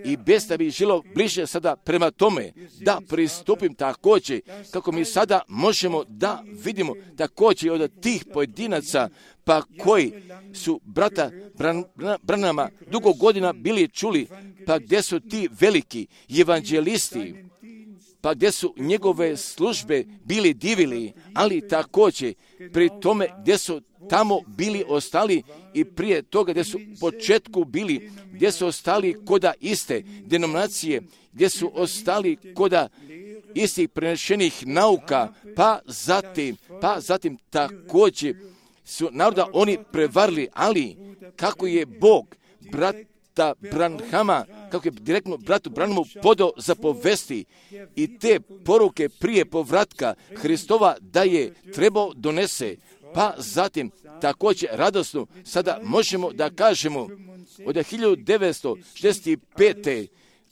I bez da bi želo bliže sada prema tome da pristupim također, kako mi sada možemo da vidimo također od tih pojedinaca, pa koji su brata Branama dugo godina bili čuli, pa gdje su ti veliki evanđelisti, pa gdje su njegove službe bili divili, ali također pri tome gdje su tamo bili ostali i prije toga gdje su u početku bili, gdje su ostali koda iste denominacije, gdje su ostali koda istih prenešenih nauka, pa zatim također su naroda oni prevarili, ali kako je Bog brata Branhama, kako je direktno bratu Branhamu podao za povesti i te poruke prije povratka Hristova da je trebao donese pa zatim također radosno sada možemo da kažemo od 1965.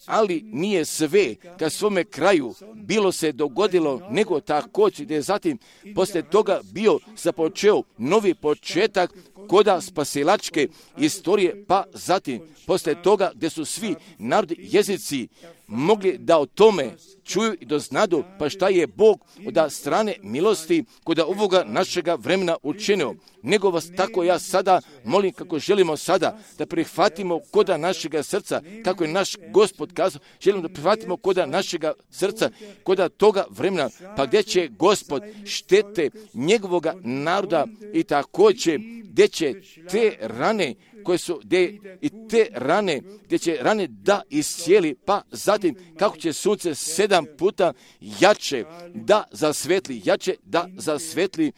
ali nije sve ka svome kraju bilo se dogodilo, nego također gdje je zatim poslije toga bio započeo novi početak koda spasilačke istorije, pa zatim poslije toga gdje su svi narodi jezici mogli da o tome čuju i doznadu, pa šta je Bog od strane milosti kod ovoga našega vremena učinio. Nego vas tako ja sada molim, kako želimo sada da prihvatimo koda našega srca, kako je naš Gospod kazao, želimo da prihvatimo koda našega srca, koda toga vremena, pa gdje će Gospod štete njegovoga naroda i također gdje će te rane koje su gdje će rane da iscijeli, pa zatim kako će sunce 7 puta jače da zasvetli,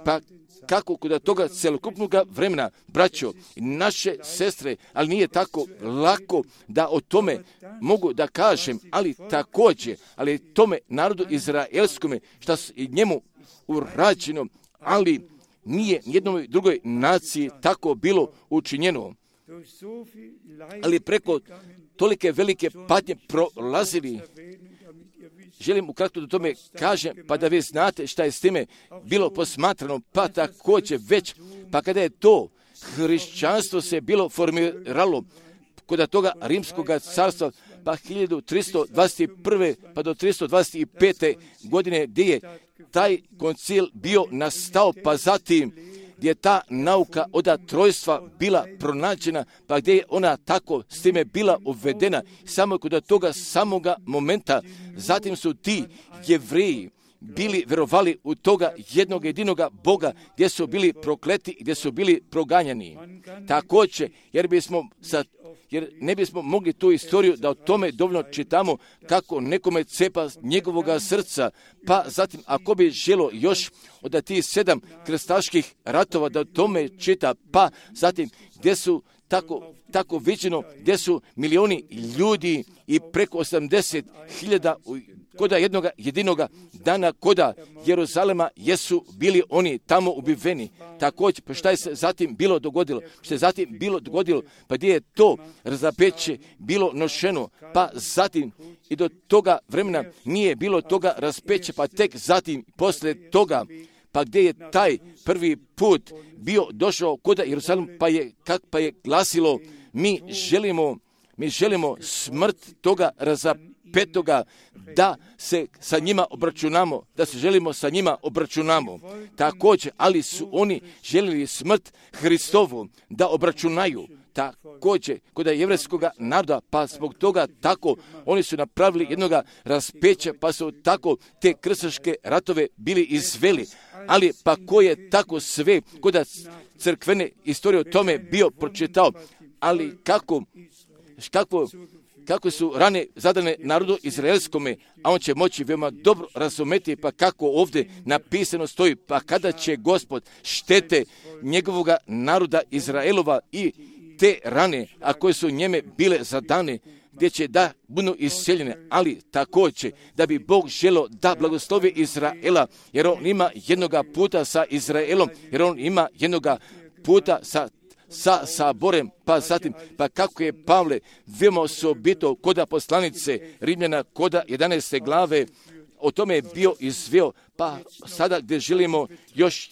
pa kako kod toga celokupnog vremena, braćo i naše sestre, ali nije tako lako da o tome mogu da kažem, ali također, ali tome narodu izraelskome, što je njemu urađeno, ali nije nijednoj drugoj naciji tako bilo učinjeno. Ali preko tolike velike patnje prolazili. Želim ukratko da tome kažem, pa da vi znate šta je s time bilo posmatrano, pa također već, pa kada je to hrišćanstvo se bilo formiralo kod toga rimskog carstva, pa 1321. pa do 325. godine gdje je taj koncil bio nastao, pa zatim gdje je ta nauka od trojstva bila pronađena, pa gdje je ona tako s time bila uvedena, samo kod toga samoga momenta, zatim su ti Jevreji bili verovali u toga jednog jedinoga Boga, gdje su bili prokleti, gdje su bili proganjani. Također, jer ne bismo mogli tu istoriju da o tome dovoljno čitamo kako nekome cepa njegovoga srca, pa zatim ako bi želo još od tih 7 krstaških ratova da o tome čita, pa zatim gdje su tako viđeno, gdje su milioni ljudi i preko 80.000 koda jednoga jedinoga dana koda Jeruzalema jesu bili oni tamo ubiveni. Također, pa šta je se zatim bilo dogodilo? Što je zatim bilo dogodilo? Pa gdje je to razapeće bilo nošeno? Pa zatim i do toga vremena nije bilo toga raspeće, pa tek zatim poslije toga, pa gdje je taj prvi put bio došao koda Jeruzalem, pa je glasilo, mi želimo smrt toga razapetoga, da se sa njima obračunamo, da se želimo sa njima obračunamo. Također, ali su oni željeli smrt Hristovu da obračunaju. Također, kod jevrejskog naroda, pa zbog toga tako oni su napravili jednoga raspeća, pa su tako te krstaške ratove bili izveli. Ali pa ko je tako sve kod crkvene istorije o tome bio pročitao, ali kako su rane zadane narodu izraelskome, a on će moći veoma dobro razumeti, pa kako ovdje napisano stoji, pa kada će Gospod štete njegovoga naroda Izraelova i te rane, a koje su njeme bile zadane, gdje će da budu isceljene, ali također da bi Bog želio da blagoslovi Izraela, jer on ima jednoga puta sa Izraelom, jer on ima jednoga puta sa saborem, pa zatim, pa kako je Pavle veoma osobito koda poslanice Rimljana koda 11. glave, o tome je bio izveo, pa sada gdje želimo još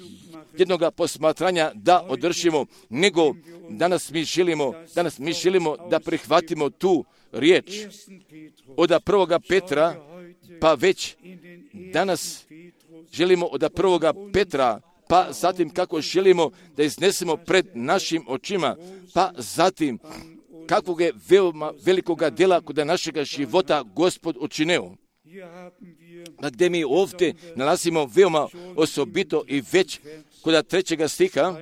jednoga posmatranja da održimo, nego danas mi želimo da prihvatimo tu riječ od 1. Petra, pa već danas želimo od 1. Petra, pa zatim kako želimo da iznesemo pred našim očima, pa zatim kakvog je veoma velikoga djela kod našega života Gospod učinio. Pa gdje mi ovdje nalazimo veoma osobito i već kod 3. stiha,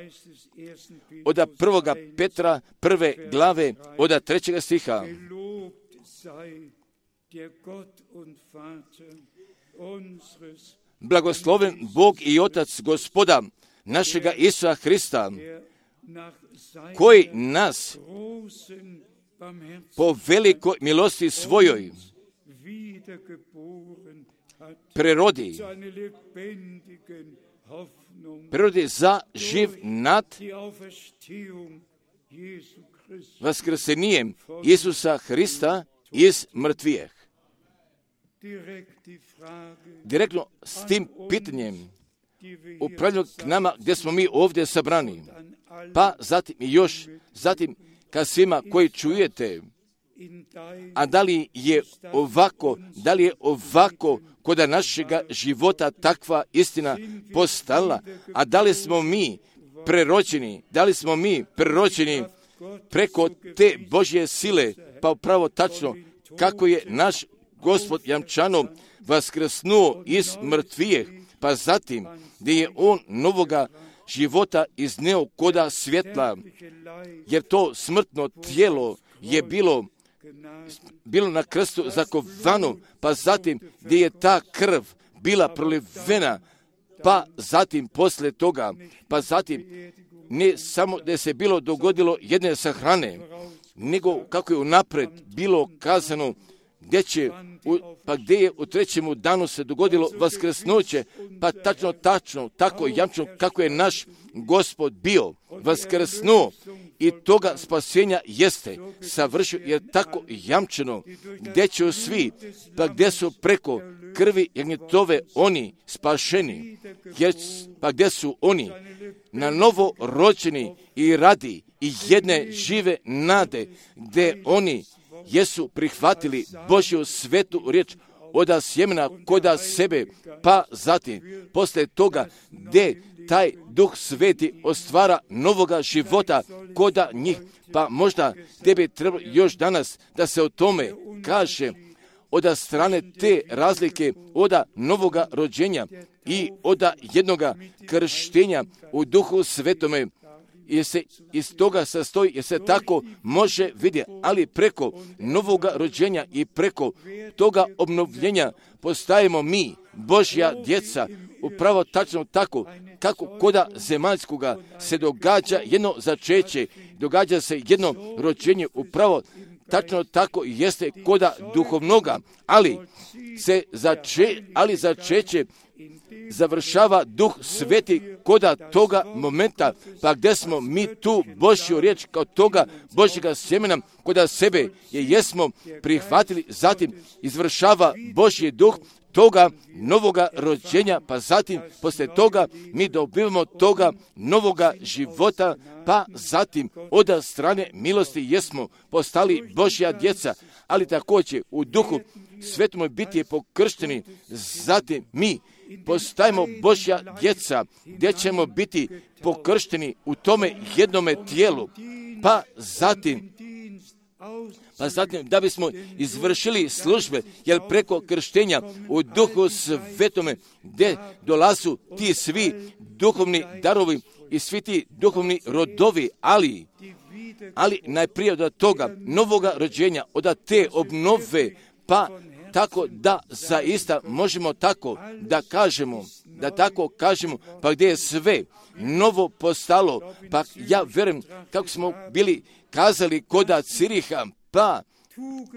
od 1. Petra 1. glave, od 3. stiha. Blagosloven Bog i Otac Gospoda našega Isusa Hrista, koji nas po velikoj milosti svojoj prerodi prirodi za živ nad vaskrsenjem Isusa Hrista iz mrtvijeh. Direktno s tim pitanjem upravljaju k nama gdje smo mi ovdje sabrani. Pa zatim i još, zatim ka svima koji čujete, a da li je ovako kod našega života takva istina postala, a da li smo mi preročeni preko te Božje sile, pa upravo tačno kako je naš Gospod jamčano vaskrsnuo iz mrtvijeh, pa zatim gdje je on novoga života izneo koda svjetla, jer to smrtno tijelo je bilo na krstu zakovano, pa zatim gdje je ta krv bila prolivena, pa zatim poslije toga, pa zatim ne samo da se bilo dogodilo jedne sahrane, nego kako je unaprijed bilo kazano gdje je u trećemu danu se dogodilo vaskrsnuće, pa tačno, tako jamčno kako je naš Gospod bio vaskrsnuo i toga spasenja jeste savršio, jer tako jamčeno gdje će svi, pa gdje su preko krvi jagnjetove oni spašeni, pa gdje su oni na novo rođeni i radi i jedne žive nade, gdje oni jesu prihvatili Božju svetu riječ oda sjemena koda sebe, pa zatim poslije toga gdje taj Duh Sveti ostvara novoga života koda njih, pa možda gdje bi trebalo još danas da se o tome kaže oda strane te razlike oda novoga rođenja i oda jednoga krštenja u Duhu Svetome, jer se iz toga sastoji, jer se tako može vidjeti, ali preko novoga rođenja i preko toga obnovljenja postajemo mi, Božja djeca, upravo tačno tako, kako koda zemaljskoga se događa jedno začeće, događa se jedno rođenje, upravo tačno tako jeste koda duhovnoga, ali začeće završava Duh Sveti koda toga momenta, pa gdje smo mi tu Božju riječ kao toga Božjega sjemena koda sebe jesmo prihvatili, zatim izvršava Božji Duh toga novoga rođenja, pa zatim poslije toga mi dobivamo toga novoga života, pa zatim od strane milosti jesmo postali Božja djeca, ali također u Duhu Svetom biti pokršteni, zatim mi postajemo Božja djeca, gdje ćemo biti pokršteni u tome jednome tijelu, pa zatim da bismo izvršili službe, jer preko krštenja u Duhu Svetome gdje dolazu ti svi duhovni darovi i svi ti duhovni rodovi, ali najprije od toga novoga rođenja, od te obnove, pa tako da zaista možemo tako da tako kažemo, pa gdje je sve novo postalo, pa ja vjerujem kako smo bili kazali koda Ciriha, pa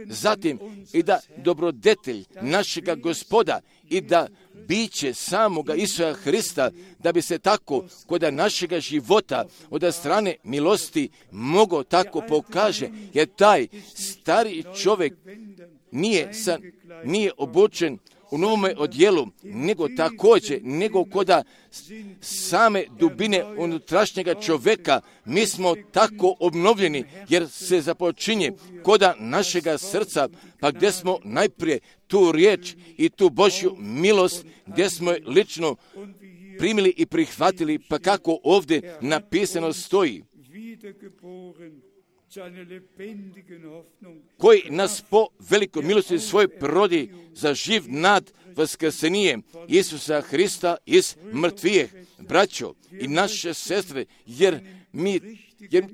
zatim i da dobrodetelj našega Gospoda i da biće samoga Isusa Hrista, da bi se tako koda našega života od strane milosti mogo tako pokaže, jer taj stari čovjek nije obučen u novome odjelu, nego također, nego koda same dubine unutrašnjega čovjeka, mi smo tako obnovljeni, jer se započinje koda našega srca, pa gdje smo najprije tu riječ i tu Božju milost, gdje smo je lično primili i prihvatili, pa kako ovdje napisano stoji, koji nas po velikoj milosti svoj prodi za živ nad vaskrsenjem Isusa Hrista iz mrtvijeh. Braćo i naše sestre, jer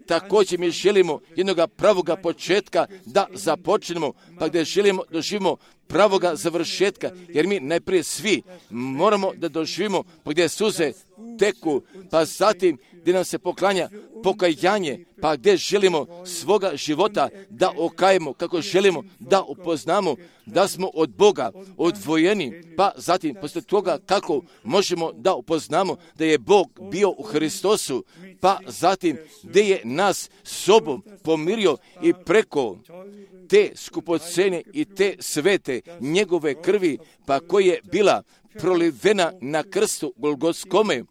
također mi želimo jednoga pravoga početka da započnemo, pa gdje želimo doživimo pravoga završetka, jer mi najprije svi moramo da doživimo, pa gdje suze teku, pa zatim gdje nam se poklanja pokajanje, pa gdje želimo svoga života da okajemo, kako želimo da upoznamo da smo od Boga odvojeni, pa zatim poslije toga kako možemo da upoznamo da je Bog bio u Hristosu, pa zatim gdje je nas sobom pomirio i preko te skupocene i te svete njegove krvi, pa koja je bila prolivena na krstu Golgotskome,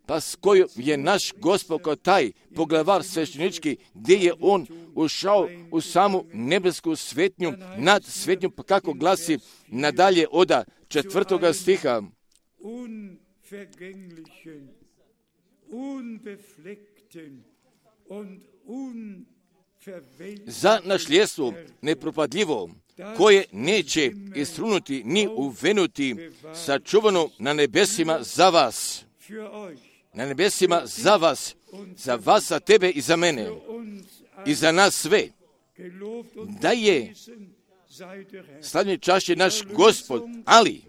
pa s kojom je naš Gospod kao taj poglavar sveštenički, gdje je on ušao u samu nebesku svetnju, nad svetnju, pa kako glasi nadalje od 4. stiha. Za našljedstvo nepropadljivo, koje neće istrunuti ni uvenuti, sačuvano na nebesima za vas. Na nebesima za vas, za tebe i za mene, i za nas sve. Da je slavljen čašće naš Gospod, ali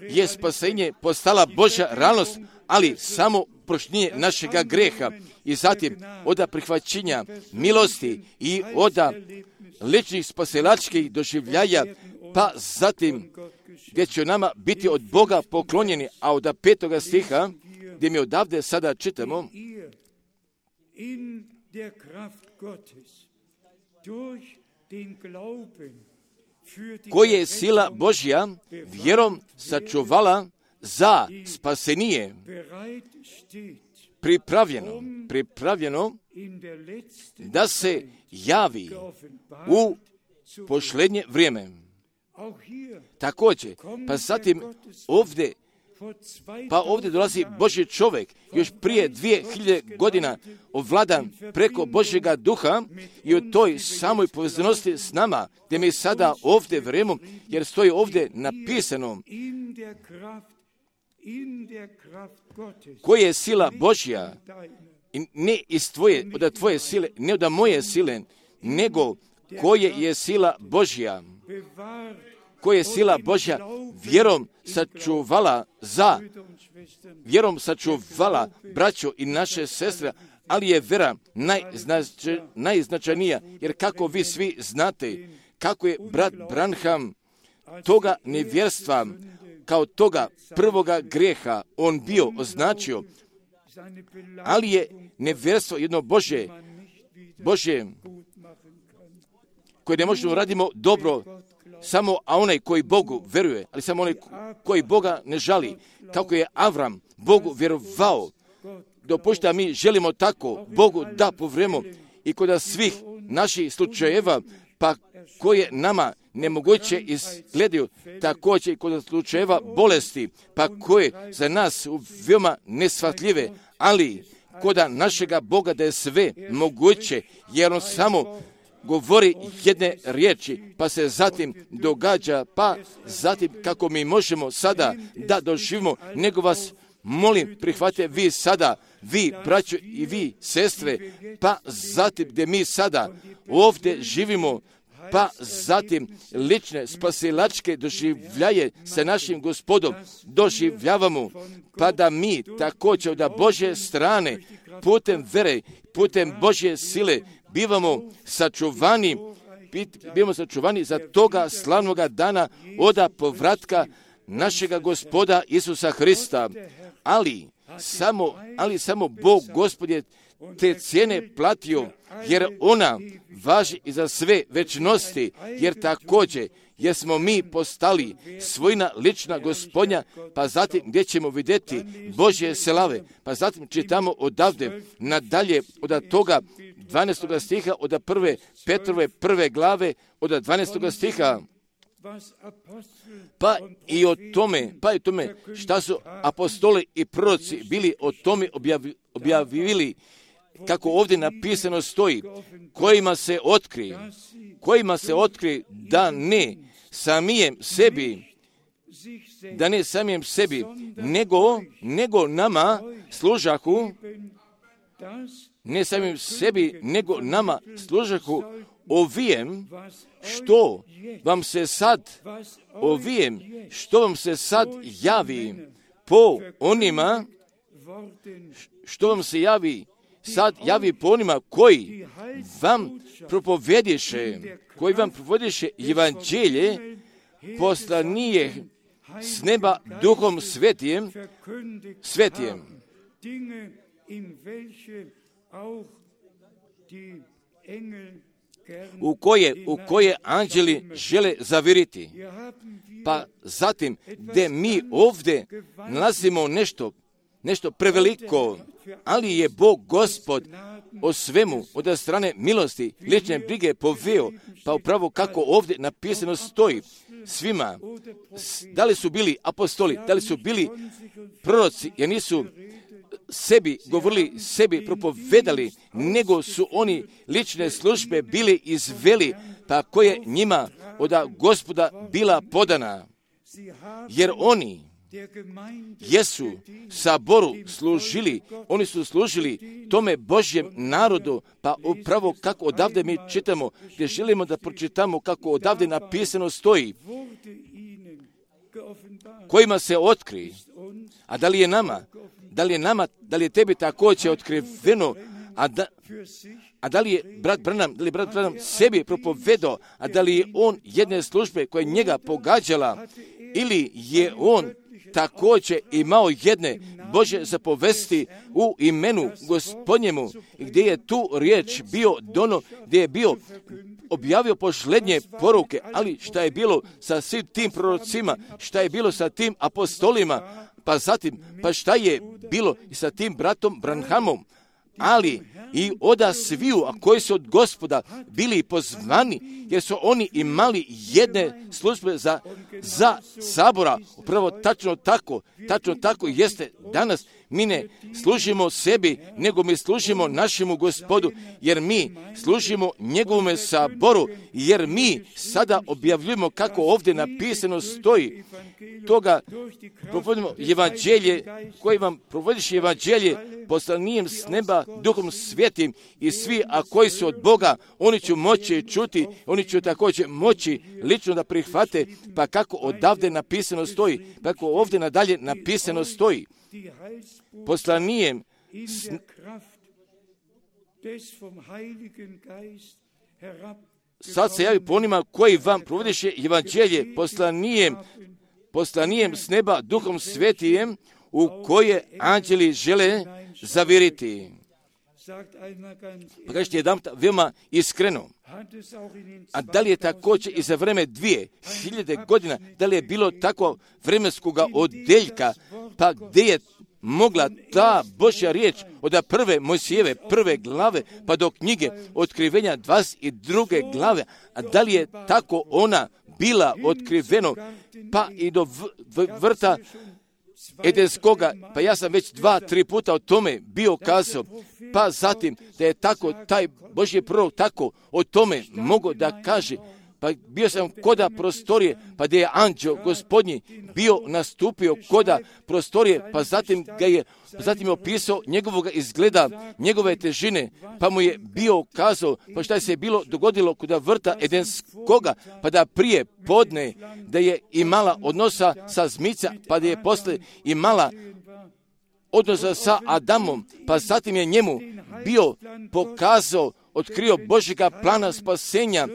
je spasenje postala Božja realnost, ali samo prošljenje našega greha i zatim od prihvaćenja milosti i od ličnih spasilačkih doživljaja, pa zatim gdje će nama biti od Boga poklonjeni, a od 5. stiha, gdje mi odavde sada čitamo, koje je sila Božja vjerom sačuvala za spasenije, pripravljeno da se javi u posljednje vrijeme. Također, pa zatim ovdje dolazi Božji čovjek, još prije 2000 godina ovladan preko Božjega duha i u toj samoj povezanosti s nama, gdje mi sada ovdje vjerujemo, jer stoji ovdje napisano koja je sila Božja, ne iz od tvoje sile, ne od moje sile, nego koja je sila Božja, koja je sila Božja vjerom sačuvala braćo i naše sestre, ali je vera najznačajnija, jer kako vi svi znate, kako je brat Branham toga nevjerstva, kao toga prvoga grijeha on bio označio, ali je nevjerstvo jedno Božje, koje ne možemo radimo dobro, samo a onaj koji Bogu vjeruje, ali samo onaj koji Boga ne žali, kako je Avram Bogu vjerovao, dopušta mi želimo tako Bogu da povremo i kod svih naših slučajeva, pa koje nama nemoguće izgledaju, također i kod slučajeva bolesti, pa koje za nas veoma neshvatljive, ali kod našega Boga da je sve moguće, jer on samo govori jedne riječi, pa se zatim događa, pa zatim kako mi možemo sada da doživimo, nego vas molim, prihvatite vi sada, vi braćo i vi sestre, pa zatim gdje mi sada ovdje živimo, pa zatim lične spasilačke doživljaje sa našim Gospodom doživljavamo, pa da mi također od Božje strane putem vere, putem Božje sile bivamo sačuvani za toga slavnoga dana od povratka našega Gospoda Isusa Hrista. Ali samo Bog Gospod je te cijene platio, jer ona važi i za sve večnosti, jer također jer smo mi postali svojina lična Gospodnja, pa zatim gdje ćemo vidjeti Božje slave, pa zatim čitamo odavde nadalje od toga 12. stiha, od 1. Petrove 1. glave, od 12. stiha. Pa i o tome šta su apostoli i proroci bili o tome objavili, kako ovdje napisano stoji, kojima se otkri da ne samijem sebi, nego nama služahu, ne samim sebi, nego nama služahu ovijem što vam se sad javi po onima što vam se javi, sad javi po onima koji vam propovediše evanđelje, poslanije s neba Duhom Svetijem, u koje anđeli žele zaviriti. Pa zatim, gdje mi ovdje nalazimo nešto preveliko, ali je Bog Gospod o svemu od strane milosti, lične brige poveo, pa upravo kako ovdje napisano stoji svima, da li su bili apostoli, da li su bili proroci, jer nisu sebi govorili, sebi propovedali, nego su oni lične službe bili izveli, pa koje njima od Gospoda bila podana. Jer oni jesu saboru služili, oni su služili tome Božjem narodu, pa upravo kako odavde mi čitamo, gdje želimo da pročitamo kako odavde napisano stoji, kojima se otkri, a da li je nama, tebi također otkriveno, a da li je brat Branham sebi propovedao, a da li je on jedne službe koja njega pogađala, ili je on također imao jedne Božje zapovesti u imenu Gospodnjemu, gdje je tu riječ bio gdje je bio objavio posljednje poruke, ali šta je bilo sa svim tim prorocima, šta je bilo sa tim apostolima, pa šta je bilo i sa tim bratom Branhamom, ali i oda sviju, a koji su od Gospoda bili pozvani, jer su oni imali jedne službe za sabora. Upravo tačno tako jeste danas. Mi ne služimo sebi, nego mi služimo našemu Gospodu, jer mi služimo njegovome saboru, jer mi sada objavljujemo kako ovdje napisano stoji. Toga provodimo evanđelje, koji vam provodiš evanđelje poslanijem s neba Duhom Svetim, i svi, a koji su od Boga, oni će moći čuti, oni će također moći lično da prihvate, pa kako odavde napisano stoji, pa kako ovdje nadalje napisano stoji. Poslanijem sad se javi po onima koji vam provodiše evanđelje, poslanijem s neba Duhom Svetijem, u koje anđeli žele zaviriti. Pa kažete jedan veoma iskreno, a da li je također i za vreme 2000 godina, da li je bilo tako vremenskoga odeljka, pa gdje je mogla ta Božja riječ od prve Mojsijeve prve glave pa do knjige Otkrivenja 22. glave, a da li je tako ona bila otkriveno, pa i do vrta Edenskoga, pa ja sam već 2-3 puta o tome bio kazao, pa zatim da je tako taj Božji prorok tako o tome mogao da kaže, pa bio sam koda prostorije, pa gdje je anđeo Gospodnji bio nastupio koda prostorije, pa zatim je opisao njegovog izgleda, njegove težine, pa mu je bio kazao, pa šta je se bilo dogodilo koda vrta Edenskoga, pa da prije podne da je imala odnosa sa zmica, pa da je posle imala odnosa sa Adamom, pa zatim je njemu bio pokazao, otkrio Božjega plana spasenja,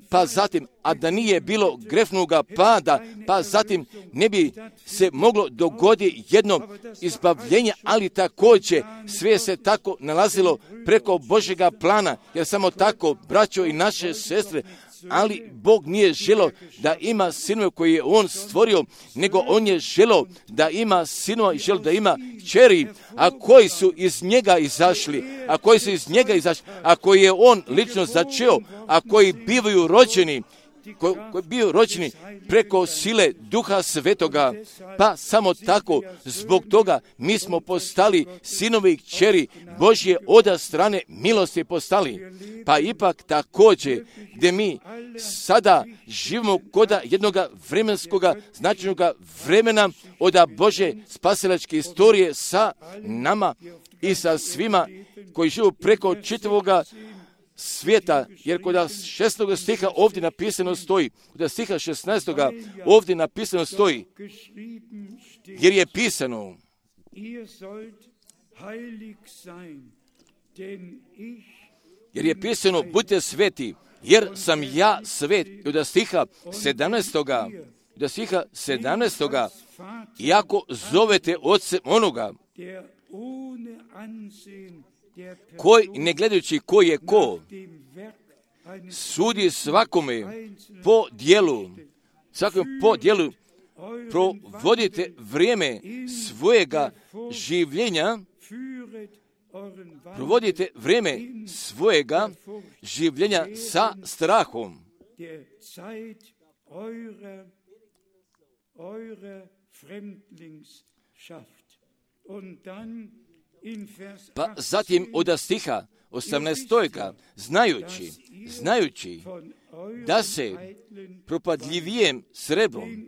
pa zatim, a da nije bilo grefnoga pada, pa zatim ne bi se moglo dogoditi jedno izbavljenje, ali također sve se tako nalazilo preko Božjega plana, jer samo tako, braćo i naše sestre, ali Bog nije želio da ima sinove koje je On stvorio, nego On je želio da ima sinova i želio da ima kćeri, a koji su iz njega izašli, a koji je On lično začeo, a koji bivaju rođeni, koji biju rođeni preko sile Duha Svetoga, pa samo tako, zbog toga mi smo postali sinovi i kćeri Božje od strane milosti postali. Pa ipak također, gdje mi sada živimo koda jednoga vremenskoga, značajnoga vremena od Božje spasilačke istorije sa nama i sa svima koji živu preko čitavoga svijeta, jer kod 16. stiha ovdje napisano stoji, kod stiha 16. ovdje napisano stoji, jer je pisano, budite sveti, jer sam ja svet. I od stiha 17. Iako zovete ocem onoga, koji, ne gledajući ko je ko, sudi svakome po djelu, provodite vrijeme svojega življenja sa strahom. Pa zatim od stiha 18. znajući da se propadljivijem srebrom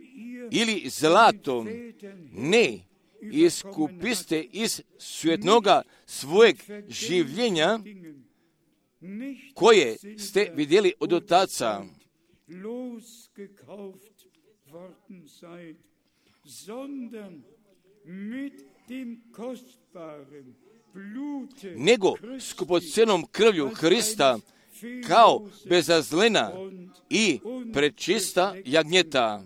ili zlatom ne iskupiste iz svjetnoga svojeg življenja koje ste vidjeli od otaca, nego skupocenom krvlju Hrista kao bezazlena i prečista jagnjeta.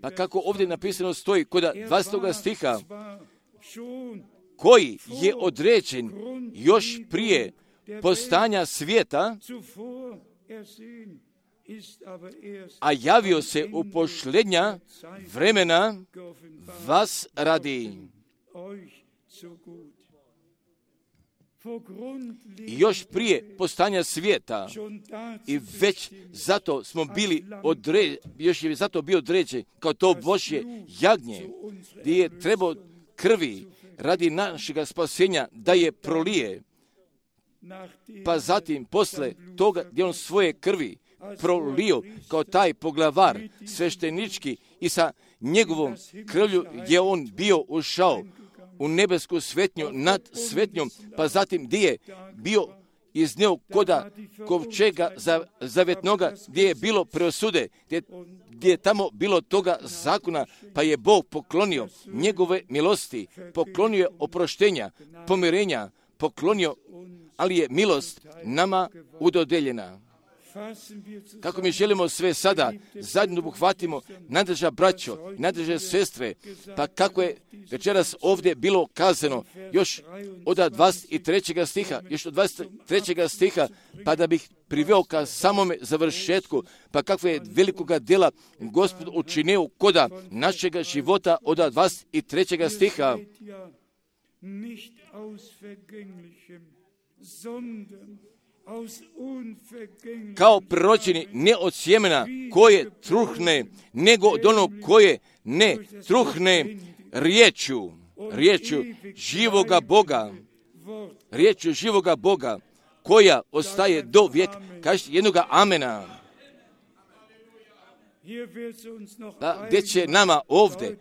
Pa kako ovdje napisano stoji kod 20. stiha, koji je određen još prije postanja svijeta, a javio se u posljednja vremena vas radi. I još prije postanja svijeta, i već zato smo bili još je zato bio određen kao to Božje jagnje, gdje je trebao krvi radi našega spasenja da je prolije, pa zatim posle toga gdje on svoje krvi prolio kao taj poglavar sveštenički i sa njegovom krvlju je on bio ušao u nebesku svetnju nad svetnjom, pa zatim gdje je bio iznio koda kovčega zavetnoga, gdje je bilo preosude, gdje je tamo bilo toga zakona, pa je Bog poklonio njegove milosti, poklonio oproštenja, pomirenja, poklonio, ali je milost nama udodeljena. Kako mi želimo sve sada zajedno obuhvatimo, nadrža braćo, nadrža sestre, pa kako je večeras ovdje bilo kazano, još od 23. stiha, pa da bih priveo ka samome završetku, pa kakve je velikoga djela Gospod učinio koda našega života od 23. stiha. Kao proročeni ne od sjemena koje truhne, nego od onog koje ne truhne riječju živoga Boga, koja ostaje do vijeka. Kažete jednoga amena. Pa gdje će nama ovdje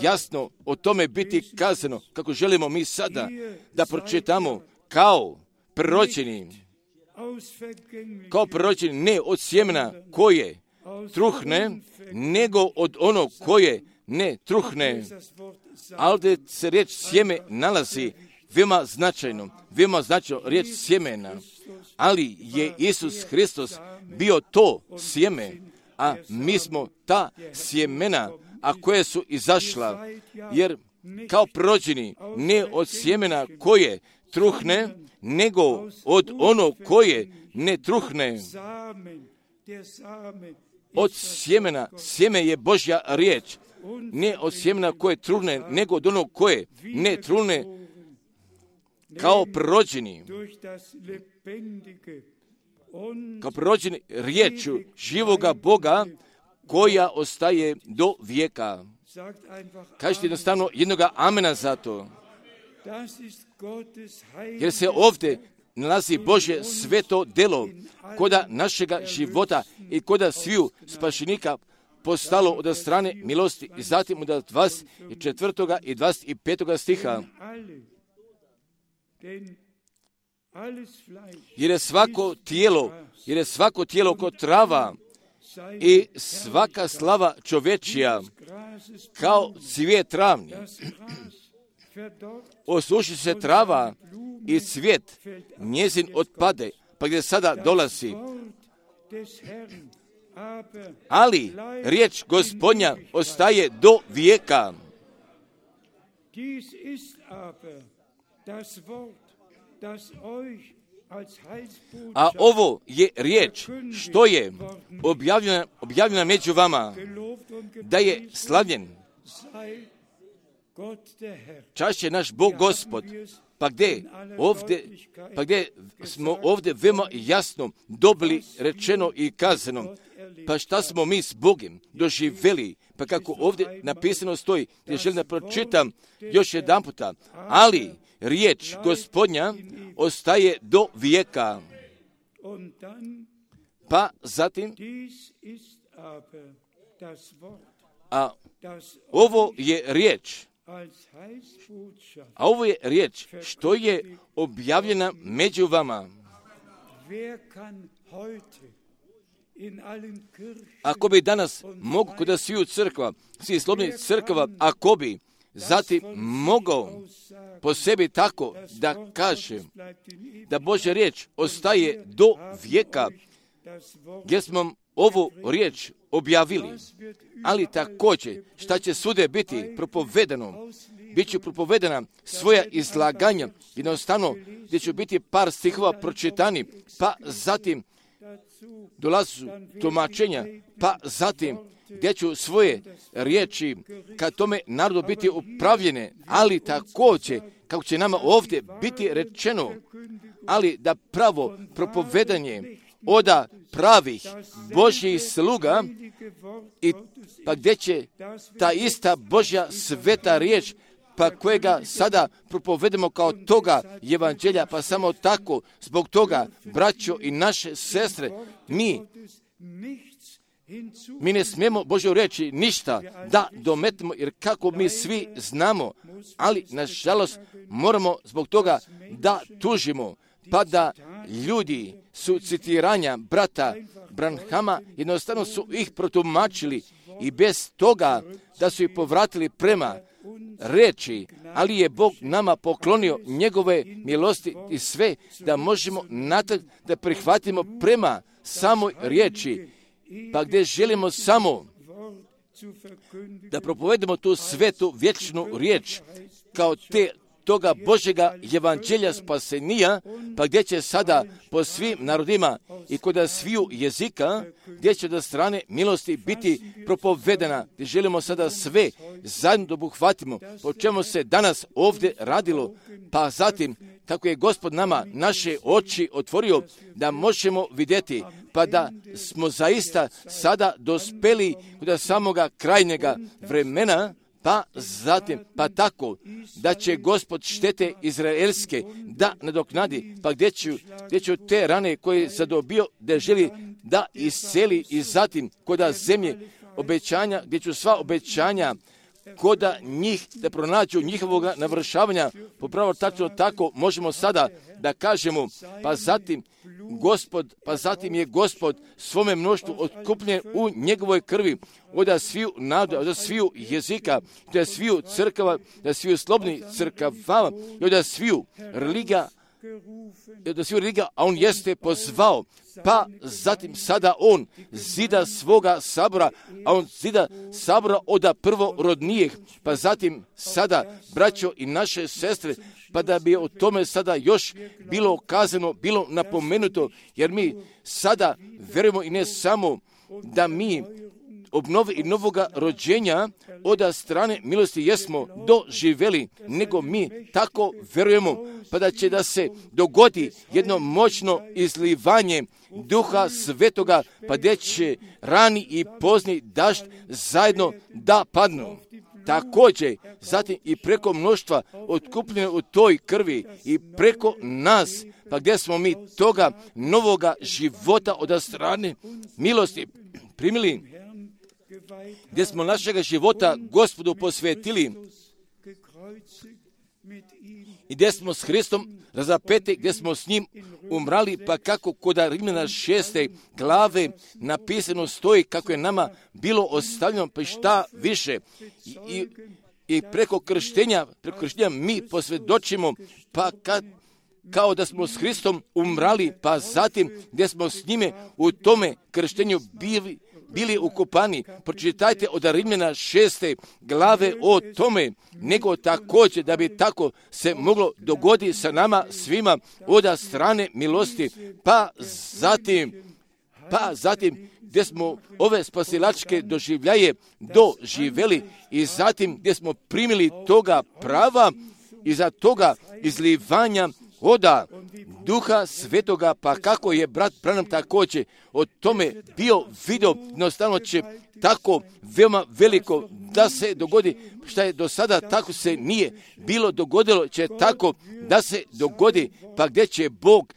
jasno o tome biti kazano, kako želimo mi sada da pročitamo kao proročeni ne od sjemena koje truhne, nego od onog koje ne truhne. Ali da se riječ sjeme nalazi veoma značajno riječ sjemena, ali je Isus Hristos bio to sjeme, a mi smo ta sjemena, a koje su izašla, jer kao proročeni ne od sjemena koje truhne, nego od onog koje ne truhne. Od sjemena, sjeme je Božja riječ, ne od sjemena koje truhne, nego od onog koje ne truhne, kao proročeni riječu živoga Boga koja ostaje do vijeka. Kažete jednostavno jednoga amena za to. Jer se ovdje nalazi Božje sveto delo koda našega života i koda sviju spašenika postalo od strane milosti. I zatim od 24. i 25. stiha. jer je svako tijelo kod trava i svaka slava čovečija kao cvijet travni. Osuši se trava i cvijet njezin otpade, pa gdje sada dolazi. Ali riječ Gospodnja ostaje do vijeka. A ovo je riječ što je objavljena među vama, da je slavljen. Čast je naš Bog Gospod. Pa gdje smo ovdje veoma jasno dobili rečeno i kazano, pa šta smo mi s Bogom doživjeli, pa kako ovdje napisano stoji, gdje želim da pročitam još jedan puta, ali riječ Gospodnja ostaje do vijeka. Pa zatim, a ovo je riječ što je objavljena među vama. Ako bi danas mogu kod sviju crkva, svih slobodnih crkva, ako bi zatim mogao po sebi tako da kaže da Božja riječ ostaje do vijeka, gdje smo ovu riječ objavili, ali također šta će svude biti propovedano, bit će propovedana svoja izlaganja, jednostavno gdje će biti par stihova pročitani, pa zatim dolazu tumačenja, pa zatim gdje ću svoje riječi ka tome narodu biti upravljene, ali također kako će nama ovdje biti rečeno, ali da pravo propovedanje oda pravih Božjih sluga, i pa gdje će ta ista Božja sveta riječ, pa kojega sada propovedemo kao toga evanđelja, pa samo tako, zbog toga, braćo i naše sestre, mi ne smijemo Božju reći ništa da dometimo, jer kako mi svi znamo, ali nažalost moramo zbog toga da tužimo, pa da ljudi su citiranja brata Branhama, jednostavno su ih protumačili i bez toga da su ih povratili prema reči, ali je Bog nama poklonio njegove milosti i sve da možemo natrag da prihvatimo prema samoj riječi, pa gdje želimo samo da propovedemo tu svetu vječnu riječ kao toga Božjega evanđelja spasenija, pa gdje će sada po svim narodima i kod sviju jezika, gdje će do strane milosti biti propovedena, gdje želimo sada sve zajedno da obuhvatimo, po čemu se danas ovdje radilo, pa zatim kako je Gospod nama naše oči otvorio da možemo vidjeti, pa da smo zaista sada dospeli kod samoga krajnjega vremena, pa zatim, pa tako, da će Gospod štete izraelske da nadoknadi, pa gdje ću te rane koje zadobio da želi da iseli i zatim koda zemlje obećanja, gdje ću sva obećanja koda njih da pronađu njihovog navršavanja, popravo tačno tako možemo sada da kažemo, pa zatim je Gospod svome mnoštvu otkupljen u njegovoj krvi, od sviju naroda, od sviju jezika, od sviju crkava, od sviju slobodnih crkava i od sviju religija, a on jeste pozvao, pa zatim sada on zida svoga sabora, a on zida sabora od prvorodnijih, pa zatim sada, braćo i naše sestre, pa da bi o tome sada još bilo kazano, bilo napomenuto, jer mi sada verujemo i ne samo da mi obnovi i novoga rođenja od strane milosti jesmo doživjeli, nego mi tako verujemo, pa da će da se dogodi jedno moćno izlivanje Duha Svetoga, pa gdje će rani i pozni dažd zajedno da padnu. Također, zatim i preko mnoštva otkupljene u toj krvi i preko nas, pa gdje smo mi toga novoga života od strane milosti primili, gdje smo našega života Gospodu posvetili, i gdje smo s Hristom razapeti, gdje smo s njim umrali, pa kako kod Rimljana 6. glave napisano stoji kako je nama bilo ostavljeno, pa šta više. I preko krštenja mi posvjedočimo, pa kao da smo s Hristom umrali, pa zatim gdje smo s njime u tome krštenju bili ukopani. Pročitajte od Rimljana 6. glave o tome, nego također da bi tako se moglo dogoditi sa nama svima od strane milosti, pa zatim gdje smo ove spasilačke doživljaje doživjeli i zatim gdje smo primili toga prava i za toga izlivanja voda Duha Svetoga, pa kako je brat Branham također o tome bio vidio, jednostavno će tako veoma veliko da se dogodi, što je do sada tako se nije bilo dogodilo, će tako da se dogodi, pa gdje će Bog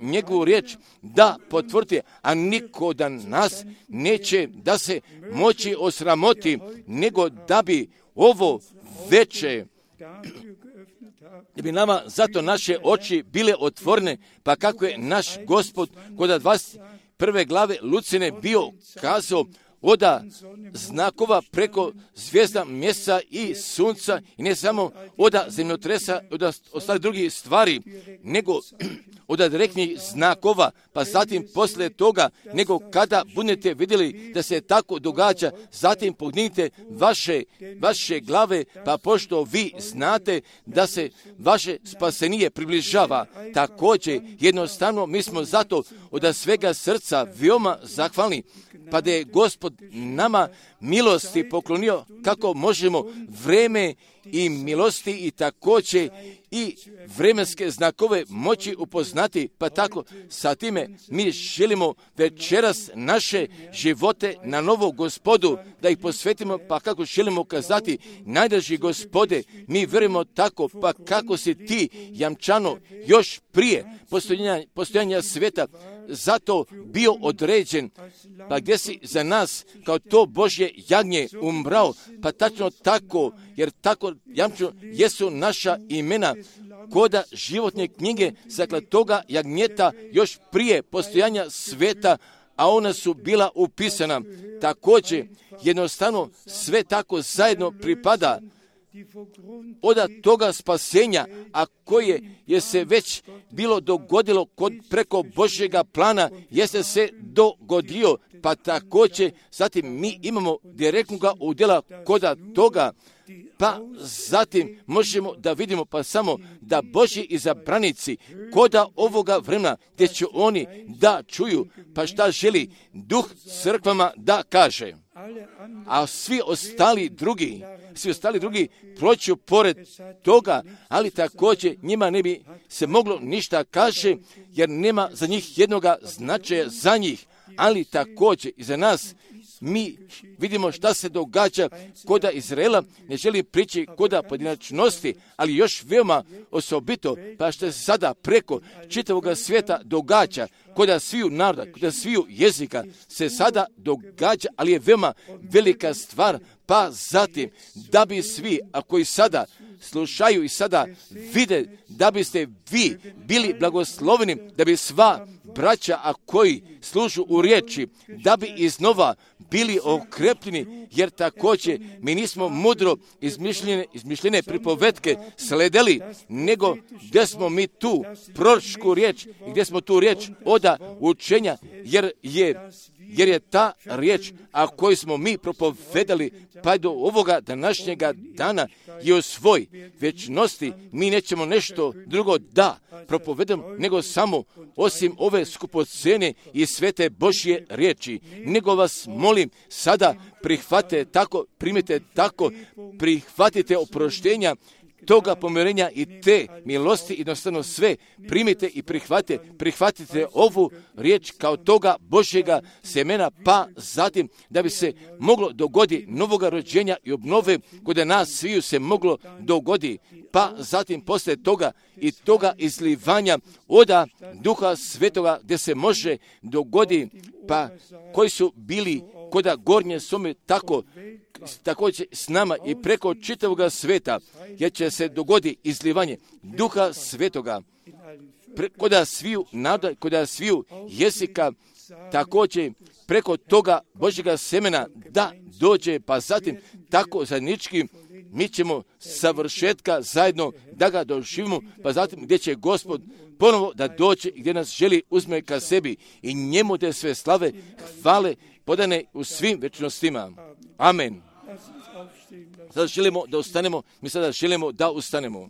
njegovu riječ da potvrdi, a niko da nas neće da se moći osramoti, nego da bi ovo veće, da bi nama zato naše oči bile otvorene, pa kako je naš Gospod kod 21. glave Lucine bio kazao od znakova preko zvijezda, mjeseca i sunca, i ne samo od zemljotresa, od ostalih drugih stvari, nego od direktnih znakova, pa zatim poslije toga, nego kada budete vidjeli da se tako događa, zatim podignite vaše glave, pa pošto vi znate da se vaše spasenije približava. Također, jednostavno, mi smo zato od svega srca veoma zahvalni, pa da je Gospod nama milosti poklonio kako možemo vreme i milosti i također i vremenske znakove moći upoznati, pa tako sa time mi želimo večeras naše živote na novo Gospodu, da ih posvetimo, pa kako želimo kazati, najdraži Gospode, mi vjerujemo tako, pa kako si ti jamčano još prije postojanja svijeta zato bio određen, pa gdje si za nas kao to Božje jagnje umrao, pa tačno tako, jer tako jamčno jesu naša imena koda životne knjige zakla toga jagnjeta još prije postojanja sveta, a ona su bila upisana. Također, jednostavno sve tako zajedno pripada od toga spasenja, a koje je se već bilo dogodilo preko Božjega plana, jeste se dogodio, pa također zatim mi imamo direktnoga udjela koda toga, pa zatim možemo da vidimo pa samo da Božji izabranici koda ovoga vremena gdje će oni da čuju, pa šta želi Duh crkvama da kaže. A svi ostali drugi proću pored toga, ali također njima ne bi se moglo ništa kaže, jer nema za njih jednoga značaja za njih, ali također i za nas. Mi vidimo šta se događa koda Izraela, ne želim prići koda pojedinačnosti, ali još veoma osobito, pa što se sada preko čitavog svijeta događa, koda sviju naroda, koda sviju jezika se sada događa, ali je veoma velika stvar, pa zatim da bi svi, a koji sada slušaju i sada vide, da biste vi bili blagosloveni, da bi sva braća, a koji služu u riječi, da bi iznova bili okrepljeni, jer također mi nismo mudro izmišljene pripovetke sledeli, nego gdje smo mi tu proročku riječ i gdje smo tu riječ oda učenja, jer je ta riječ, a koju smo mi propovedali, pa do ovoga današnjega dana i u svoj vječnosti mi nećemo nešto drugo da propovedamo, nego samo osim ove skupocene i svete Božje riječi. Nego vas molim sada prihvatite tako, primite tako, prihvatite oproštenja toga pomirenja i te milosti, jednostavno sve primite i prihvatite ovu riječ kao toga Božjega semena, pa zatim da bi se moglo dogodi novoga rođenja i obnove kod nas sviju se moglo dogodi, pa zatim poslije toga i toga izlivanja oda Duha Svetoga gdje se može dogodi, pa koji su bili koda gornje sume, tako će s nama i preko čitavoga sveta, jer će se dogodi izlivanje Duha Svetoga, koda sviju naroda, koda sviju jezika, također preko toga Božjega semena da dođe, pa zatim tako zajednički mi ćemo savršetka zajedno da ga doživimo, pa zatim gdje će Gospod ponovo da dođe i gdje nas želi uzme ka sebi i njemu te sve slave, hvale podane u svim večnostima. Amen. Sada želimo da ustanemo, mi sada želimo da ustanemo.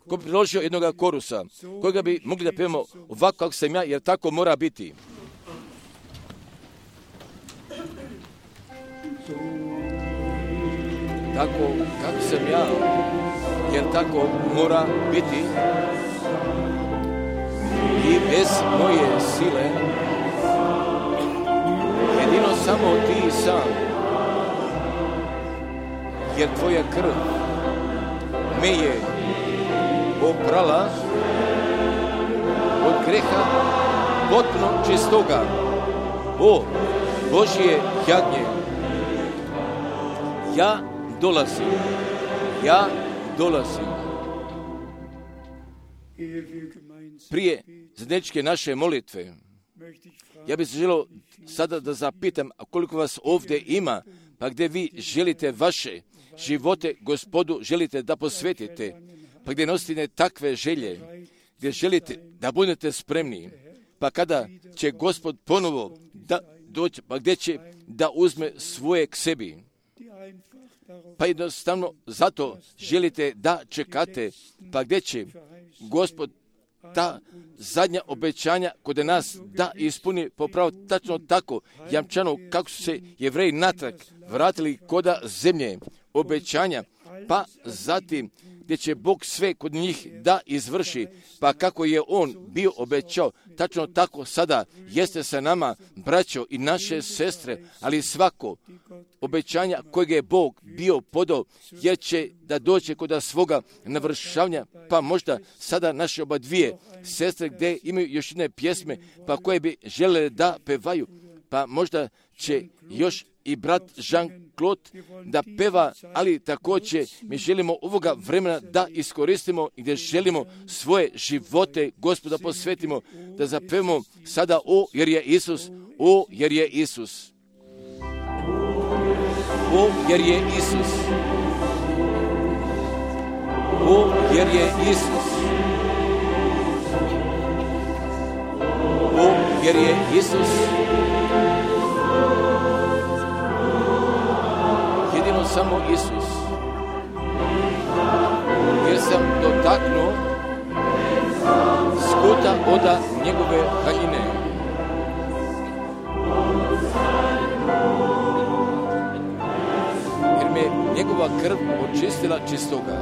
Ko bi priložio jednoga korusa, kojega bi mogli da pevamo ovako kako sam ja, jer tako mora biti. Tako kako sam ja, jer tako mora biti. I bez moje sile, jedino samo ti sam, jer tvoja krv me je oprala od greha potpuno čistoga. O Božje jagnje, ja dolazim. Prije zajedničke naše molitve, ja bih se želio sada da zapitam, a koliko vas ovdje ima, pa gdje vi želite vaše živote Gospodu, želite da posvetite, pa gdje nosite takve želje, gdje želite da budete spremni, pa kada će Gospod ponovo da doći, pa gdje će da uzme svoje k sebi. Pa jednostavno zato želite da čekate, pa gdje će Gospod ta zadnja obećanja kod nas da ispuni popravo tačno tako jamčano kako su se Jevreji natrag vratili koda zemlje obećanja, pa zatim gdje će Bog sve kod njih da izvrši, pa kako je On bio obećao, tačno tako sada jeste sa nama, braćo i naše sestre, ali svako obećanja kojeg je Bog bio podao, jer će da dođe kod svoga navršavanja, pa možda sada naše oba dvije sestre gdje imaju još jedne pjesme, pa koje bi žele da pevaju, pa možda će još i brat Jean-Claude da peva, ali također mi želimo ovoga vremena da iskoristimo i gdje želimo svoje živote Gospoda posvetimo, da zapevamo sada o jer je Isus, o jer je Isus. O jer je Isus. O jer je Isus. O jer je Isus. Jedino samo Isus. Jer sam dotaknuo skuta oda njegove haljine. Jer me njegova krv očistila čistoga.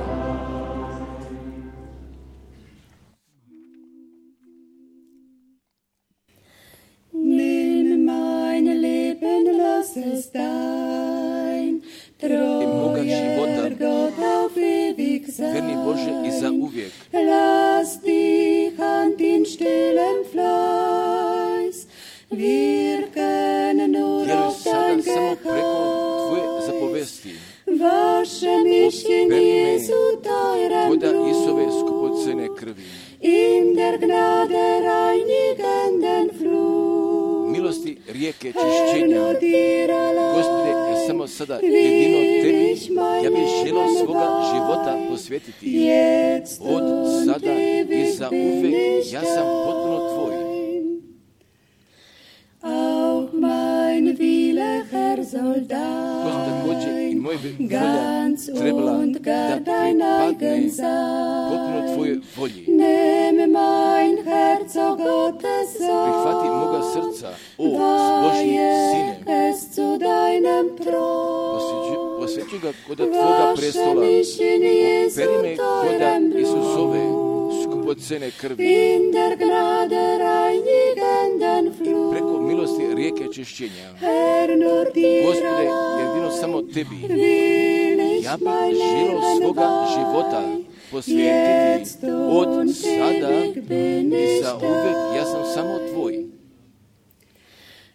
Moga života, verni Bože i za uvijek. Lass dich an den stillen Fleiß wirken nur auf dein Geheiß. Wasche mich in Jesu teurem Blut, in der Gnade reinigenden Flut. Milosti rijeke čišćenja, Gospode, samo sada jedino tebi, ja bih želio svoga života posvetiti. Od sada i za uvek, ja sam potpuno tvoj. Auch mein Wille, Herr, soll Također i moja volja ganz trebala und da gar dein pripadne eigen sein. potpuno tvoje volji. Nehme mein Herz, o Gottes Prihvati Sohn, moga srca, o Božji Sine. weihe es zu deinem Thron. Posvećuj ga koda tvoga prestola. Operi me koda Isusove skupocene krvi. In der Gnade reinigenden Flut. Preko milosti rijeke čišćenja. Herr, nur dir Gospode, allein jedino samo tebi. will ich Ja bih mein želio Leben svoga života weihen. posvetiti od sada i za uvek, ja sam samo tvoj.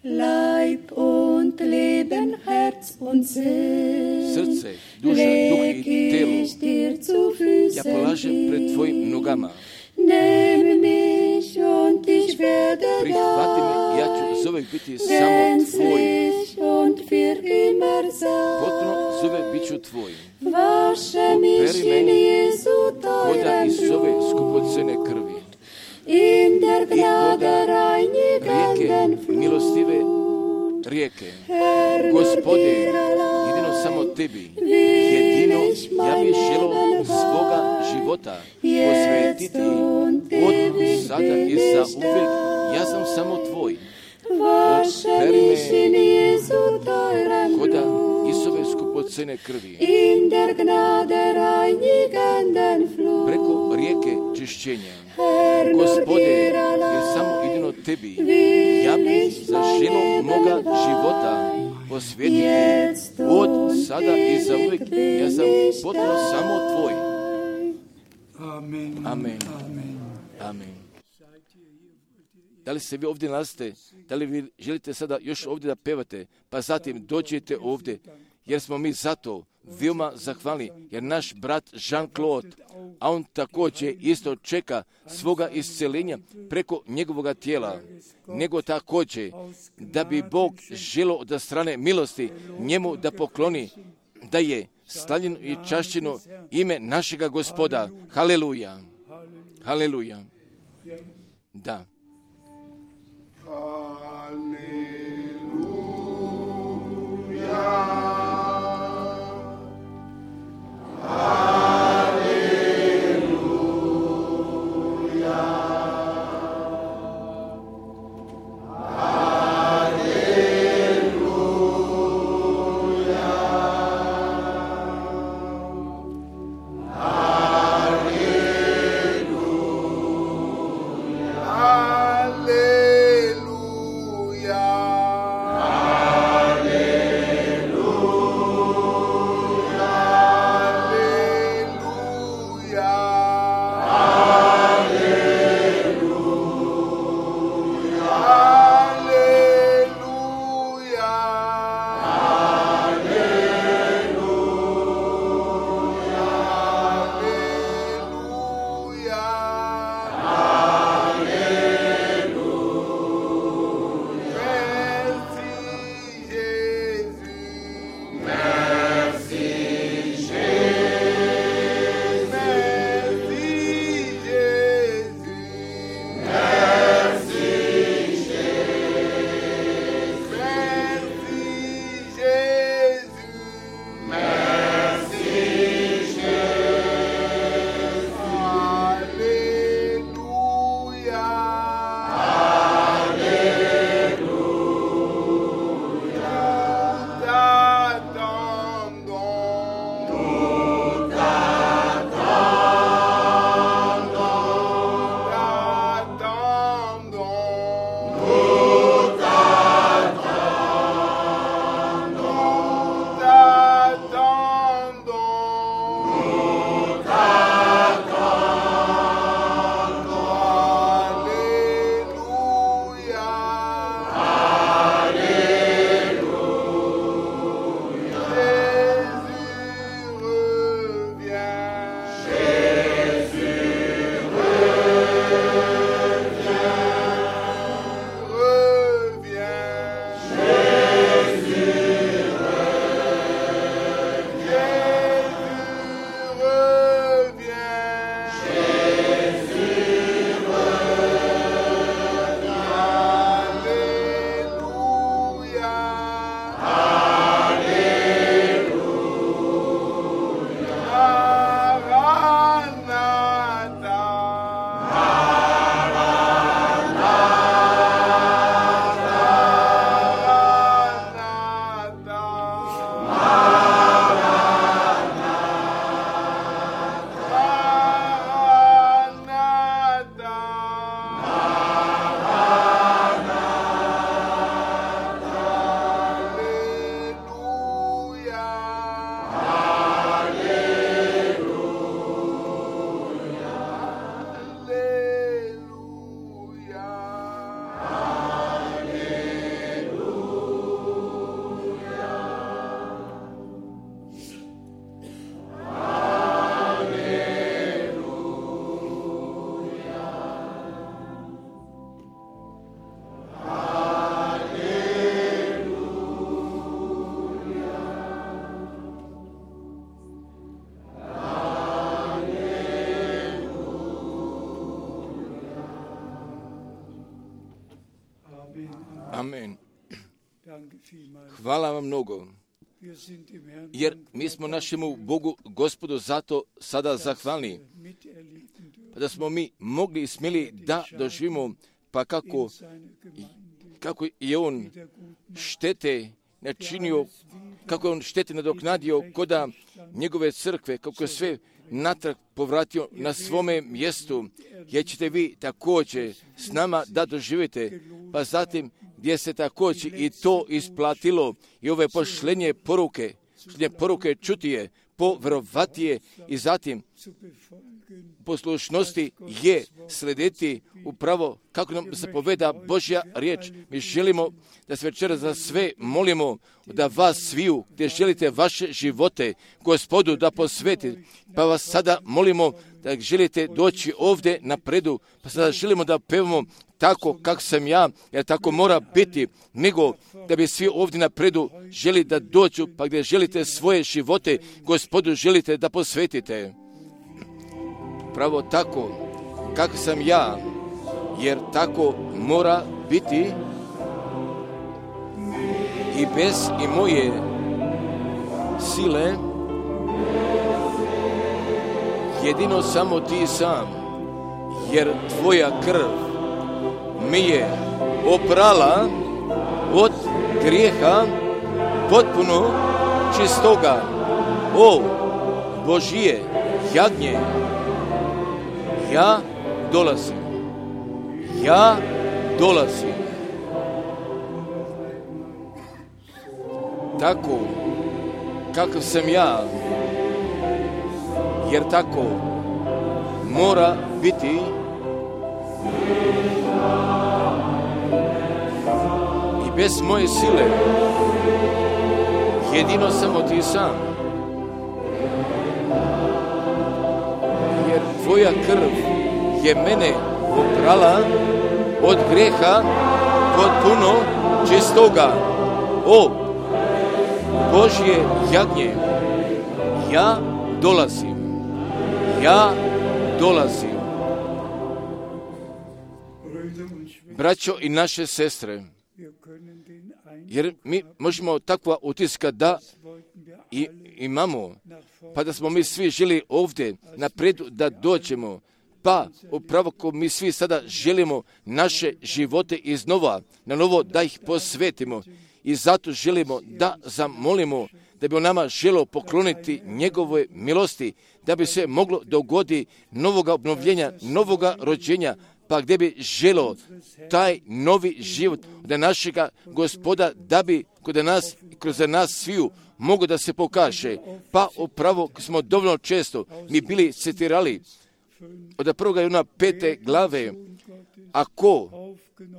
Leib und Leben, Herz und Sinn, srce, duša, duh i telo, ich dir zu ja Füßen polažem pred hin. tvojim nogama. Nehme mich und ich werde Prihvati me, ja ću zovek biti samo tvoj. gänzlich und für immer Potpuno sein. zove bit ću tvoj. Wasche mich Operi in meni Jesu Koda teuren iz ove Blut, skupocene krvi. in der I Gnade koda reinigenden rijeke, milostive Flut. rijeke. Herr, nur Gospode, dir allein jedino samo tebi, will jedino ich ja bih mein želo Leben svoga haben, života jetzt posvetiti und od ewig sada i bin za ich uvijek. da. Ja sam samo tvoj. Wasche Operi mich me in Jesu teuren Koda Blut, Isove skupocene krvi. in der Gnade reinigenden Flut. Preko rijeke čišćenja. Herr, nur Gospode, dir jer allein samo jedino tebi will ja bih ich za mein žilo Leben moga weihen. života posvetiti Jetzt od und sada i za uvijek. ewig Ja sam bin ich potpuno samo tvoj. Amen. Amen. Amen. Da li se vi ovdje nalazite? Da li vi želite sada još ovdje da pevate? Pa zatim dođete ovdje, jer smo mi zato veoma zahvalni, jer naš brat Jean-Claude, a on također isto čeka svoga isceljenja preko njegovoga tijela, nego također da bi Bog želo da strane milosti njemu da pokloni, da je slavljeno i čašćeno ime našega Gospoda. Haleluja. Haleluja. Da. Hallelujah. Amen. Hvala vam mnogo, jer mi smo našemu Bogu, Gospodu, zato sada zahvalni, da smo mi mogli i smjeli da doživimo, pa kako je On štete načinio, kako je On štete nadoknadio koda njegove crkve, kako je sve natrag povratio na svome mjestu, jer ćete vi također s nama da doživite, pa zatim gdje se također i to isplatilo i ove pošlenje poruke čutije, povjerovatije i zatim poslušnosti je slediti upravo kako nam zapoveda Božja riječ. Mi želimo da se večeras za sve molimo, da vas sviju gdje želite vaše živote Gospodu da posvetite, pa vas sada molimo da želite doći ovdje napredu, pa sada želimo da pevamo tako kako sam ja, jer tako mora biti, nego da bi svi ovdje napredu želi da dođu, pa gdje želite svoje živote Gospodu želite da posvetite. Pravo tako kako sam ja, jer tako mora biti i bez i moje sile, jedino samo ti sam, jer tvoja krv me je oprala od grijeha potpuno čistoga. O Božije jagnje, ja dolazim. Tako kakav sam ja, jer tako mora biti i bez moje sile, jedino samo ti sam, jer tvoja krv je mene oprala od grijeha potpuno čistoga. O Božje jagnje, ja dolazim. Braćo i naše sestre, jer mi možemo takva utiska da imamo, pa da smo mi svi želi ovdje napredu da dođemo, pa upravo ko mi svi sada želimo naše živote iznova, na novo da ih posvetimo i zato želimo da zamolimo da bi on nama želio pokloniti njegove milosti, da bi se moglo dogoditi novoga obnovljenja, novoga rođenja, pa gdje bi želio taj novi život od našega Gospoda, da bi kroz nas sviju mogu da se pokaže. Pa upravo smo dovoljno često mi bili citirali od 1. Juna 5. glave,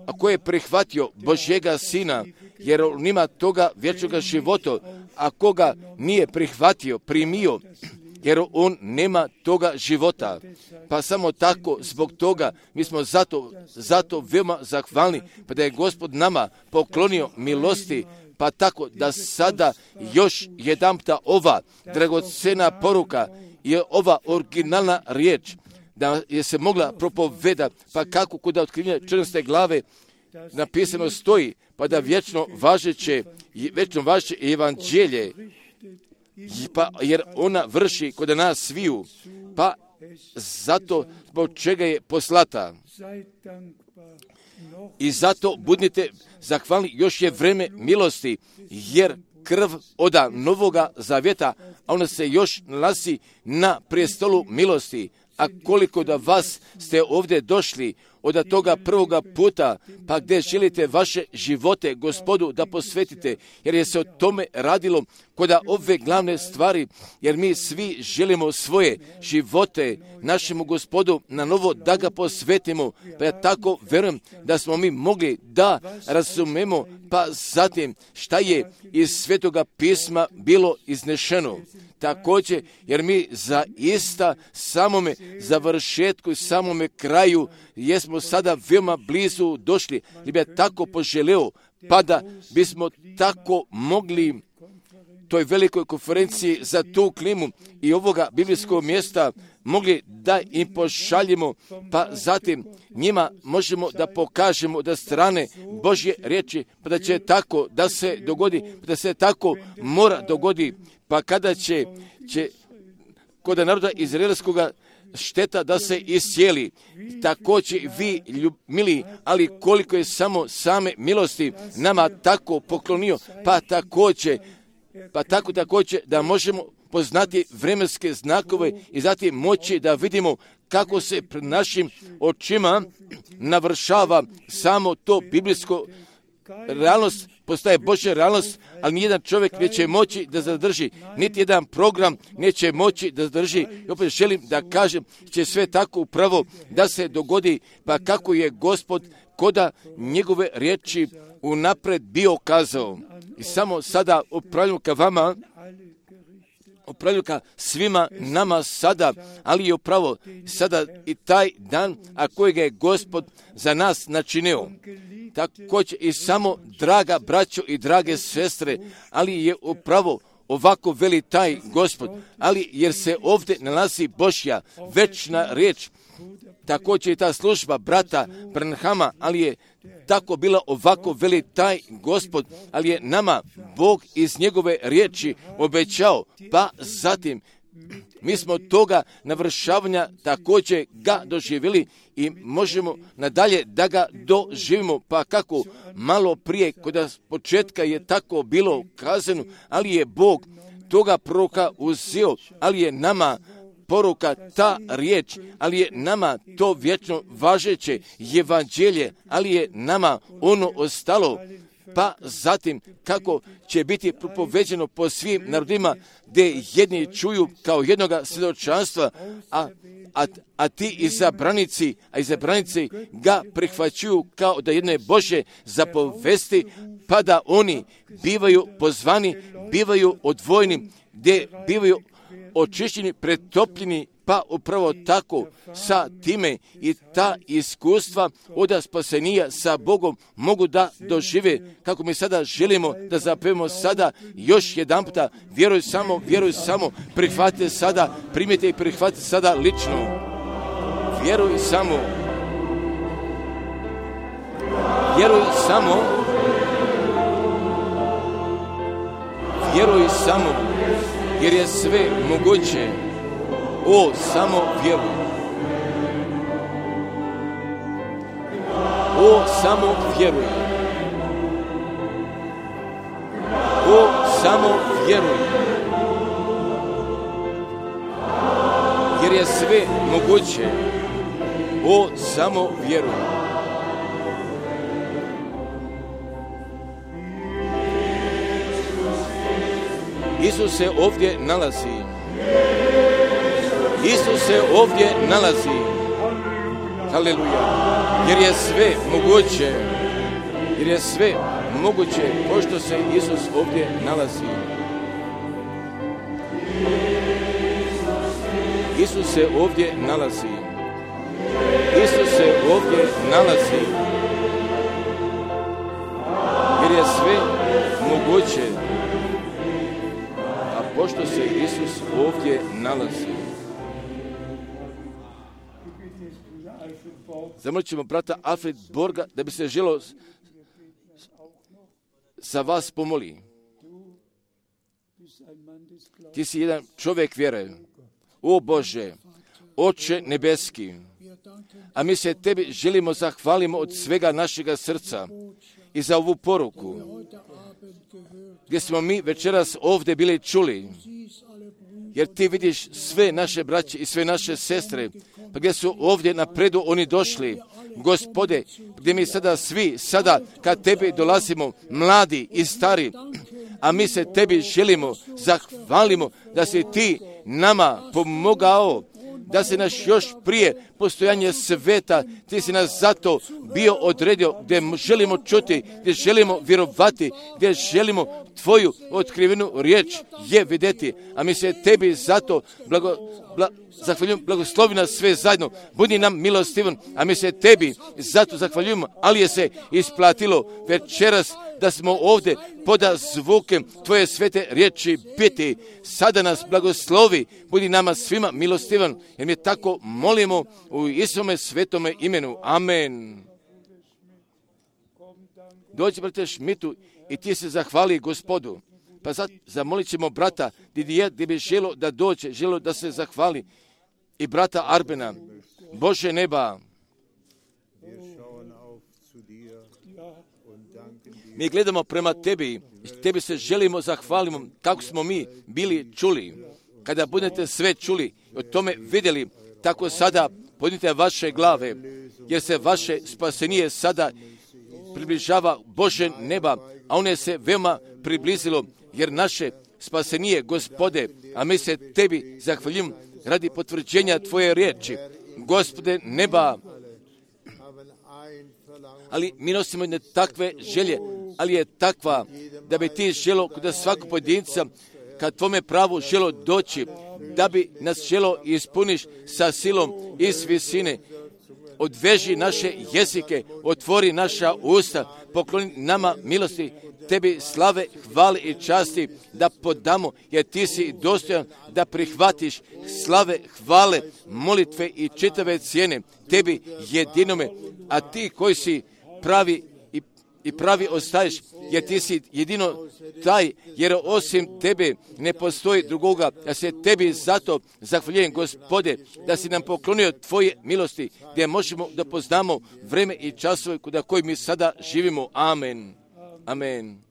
ako je prihvatio Božjega Sina, jer on ima toga vječnoga života, ako ga nije prihvatio, primio, jer on nema toga života. Pa samo tako, zbog toga, mi smo zato veoma zahvalni, pa da je Gospod nama poklonio milosti, pa tako da sada još jedanputa ova dragocena poruka je ova originalna riječ, da je se mogla propovedati, pa kako kod otkrivenja 14. glave napisano stoji, pa da vječno važeće evanđelje, pa jer ona vrši kod nas sviju, pa zato zbog čega je poslata. I zato budite zahvalni, još je vreme milosti, jer krv oda novoga zavjeta, a ona se još nalazi na prijestolu milosti. A koliko da vas ste ovdje došli od toga prvoga puta, pa gdje želite vaše živote Gospodu da posvetite, jer je se o tome radilo kod ove glavne stvari, jer mi svi želimo svoje živote našemu Gospodu na novo da ga posvetimo, pa ja tako vjerujem da smo mi mogli da razumemo, pa zatim šta je iz Svetoga pisma bilo iznešeno. Također, jer mi zaista samome završetku i samome kraju jesmo sada veoma blizu došli, li bi ja tako poželeo, pa da bismo tako mogli toj velikoj konferenciji za tu klimu i ovoga biblijskog mjesta mogli da im pošaljemo, pa zatim njima možemo da pokažemo da strane Božje riječi, pa da će tako da se dogodi, pa da se tako mora dogodi, pa kada će kod naroda izraelskoga šteta da se iscijeli. Također vi, mili, ali koliko je samo same milosti nama tako poklonio, pa također da možemo poznati vremenske znakove i zatim moći da vidimo kako se pred našim očima navršava samo to biblijsko realnost, postaje Božja realnost, ali nijedan čovjek neće moći da zadrži, niti jedan program neće moći da zadrži. I opet želim da kažem, će sve tako upravo da se dogodi, pa kako je Gospod koda njegove riječi unapred bio kazao. I samo sada upravljam ka vama, upravljam ka svima nama sada, ali je upravo sada i taj dan, a kojega je Gospod za nas načinio. Također i samo, draga braćo i drage sestre, ali je upravo ovako veli taj Gospod, ali jer se ovdje nalazi Božja večna riječ, također i ta služba brata Branhama, ali je tako bila ovako veli taj Gospod, ali je nama Bog iz njegove riječi obećao, pa zatim mi smo toga navršavanja također ga doživjeli i možemo nadalje da ga doživimo, pa kako malo prije kod početka je tako bilo kazano, ali je Bog toga proroka uzeo, ali je nama poruka ta riječ, ali je nama to vječno važeće evanđelje, ali je nama ono ostalo, pa zatim kako će biti propoveđeno po svim narodima, gdje jedni čuju kao jednoga svjedočanstva, a ti izabranici ga prihvaćuju kao da jedno je Božje zapovesti, pa da oni bivaju pozvani, bivaju odvojeni, gdje bivaju očišćeni, pretopljeni, pa upravo tako sa time i ta iskustva od spasenija sa Bogom mogu da dožive, kako mi sada želimo da zapevamo sada još jedan puta, vjeruj samo, prihvatite sada, primite i prihvatite sada lično. Vjeruj samo, jer je sve moguće. O, samo vjeruj. O, samo vjeruj. O, samo vjeruj. Jer je sve moguće. O, samo vjeruj. Isus se ovdje nalazi. Isus se ovdje nalazi. Haleluja. Jer je sve moguće, pošto se Isus ovdje nalazi. Isus se ovdje nalazi. Jer je sve moguće, a pošto se Isus ovdje nalazi. Zamolit ćemo brata Alfred Borga da bi se želio za vas pomoli. Ti si jedan čovjek vjere. O Bože, Oče nebeski, a mi se tebi želimo zahvalimo od svega našega srca i za ovu poruku, gdje smo mi večeras ovdje bili čuli, jer ti vidiš sve naše braće i sve naše sestre, pa gdje su ovdje napredu oni došli, Gospode, gdje mi sada kad tebi dolazimo, mladi i stari, a mi se tebi želimo, zahvalimo da si ti nama pomogao, da si naš još prije postojanje sveta, ti si nas zato bio odredio, gdje želimo čuti, gdje želimo vjerovati, gdje želimo tvoju otkrivenu riječ je vidjeti, a mi se tebi zato zahvaljujemo, blagoslovi nas sve zajedno, budi nam milostivan, a mi se tebi zato zahvaljujemo, ali je se isplatilo večeras da smo ovdje poda zvukem Tvoje svete riječi biti. Sada nas blagoslovi, budi nama svima milostivan, jer mi tako molimo u Isome svetome imenu. Amen. Dođi, brate Šmitu, i ti se zahvali Gospodu. Pa sad zamolit ćemo brata Didier, gdje bi želo da dođe, želo da se zahvali, i brata Arbena. Bože neba, mi gledamo prema Tebi, i Tebi se želimo zahvalimo kako smo mi bili čuli. Kada budete sve čuli, o tome vidjeli, tako sada podignite vaše glave, jer se vaše spasenije sada približava Bože neba, a ono se veoma približilo, jer naše spasenije, Gospode, a mi se Tebi zahvaljujemo radi potvrđenja Tvoje riječi. Gospode neba, ali mi nosimo jedne takve želje, ali je takva da bi ti želo kod svakog pojedinca kad Tvome pravu želo doći, da bi nas želo ispuniš sa silom iz visine. Odveži naše jezike, otvori naša usta, pokloni nama milosti, Tebi slave, hvale i časti da podamo, jer Ti si dostojan da prihvatiš slave, hvale, molitve i čitave cijene Tebi jedinome, a Ti koji si pravi i pravi ostaješ, jer Ti si jedino taj, jer osim Tebe ne postoji drugoga. Ja se Tebi zato zahvaljujem, Gospode, da si nam poklonio Tvoje milosti, gdje možemo da poznamo vreme i časove kuda koji mi sada živimo. Amen. Amen.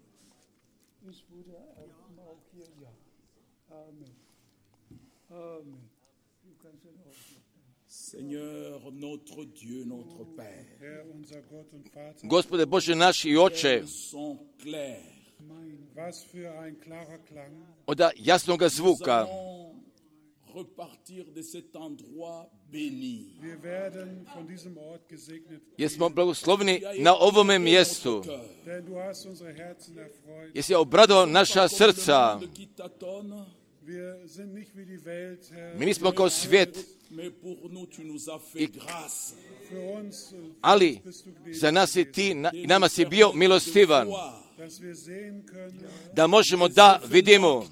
Gospode Bože naš i Oče, od jasnoga zvuka jesmo blagosloveni na ovome mjestu, jesi obradovao naša srca. Mi nismo kao svijet, ali za nas i Ti i nama si bio milostivan, da možemo da vidimo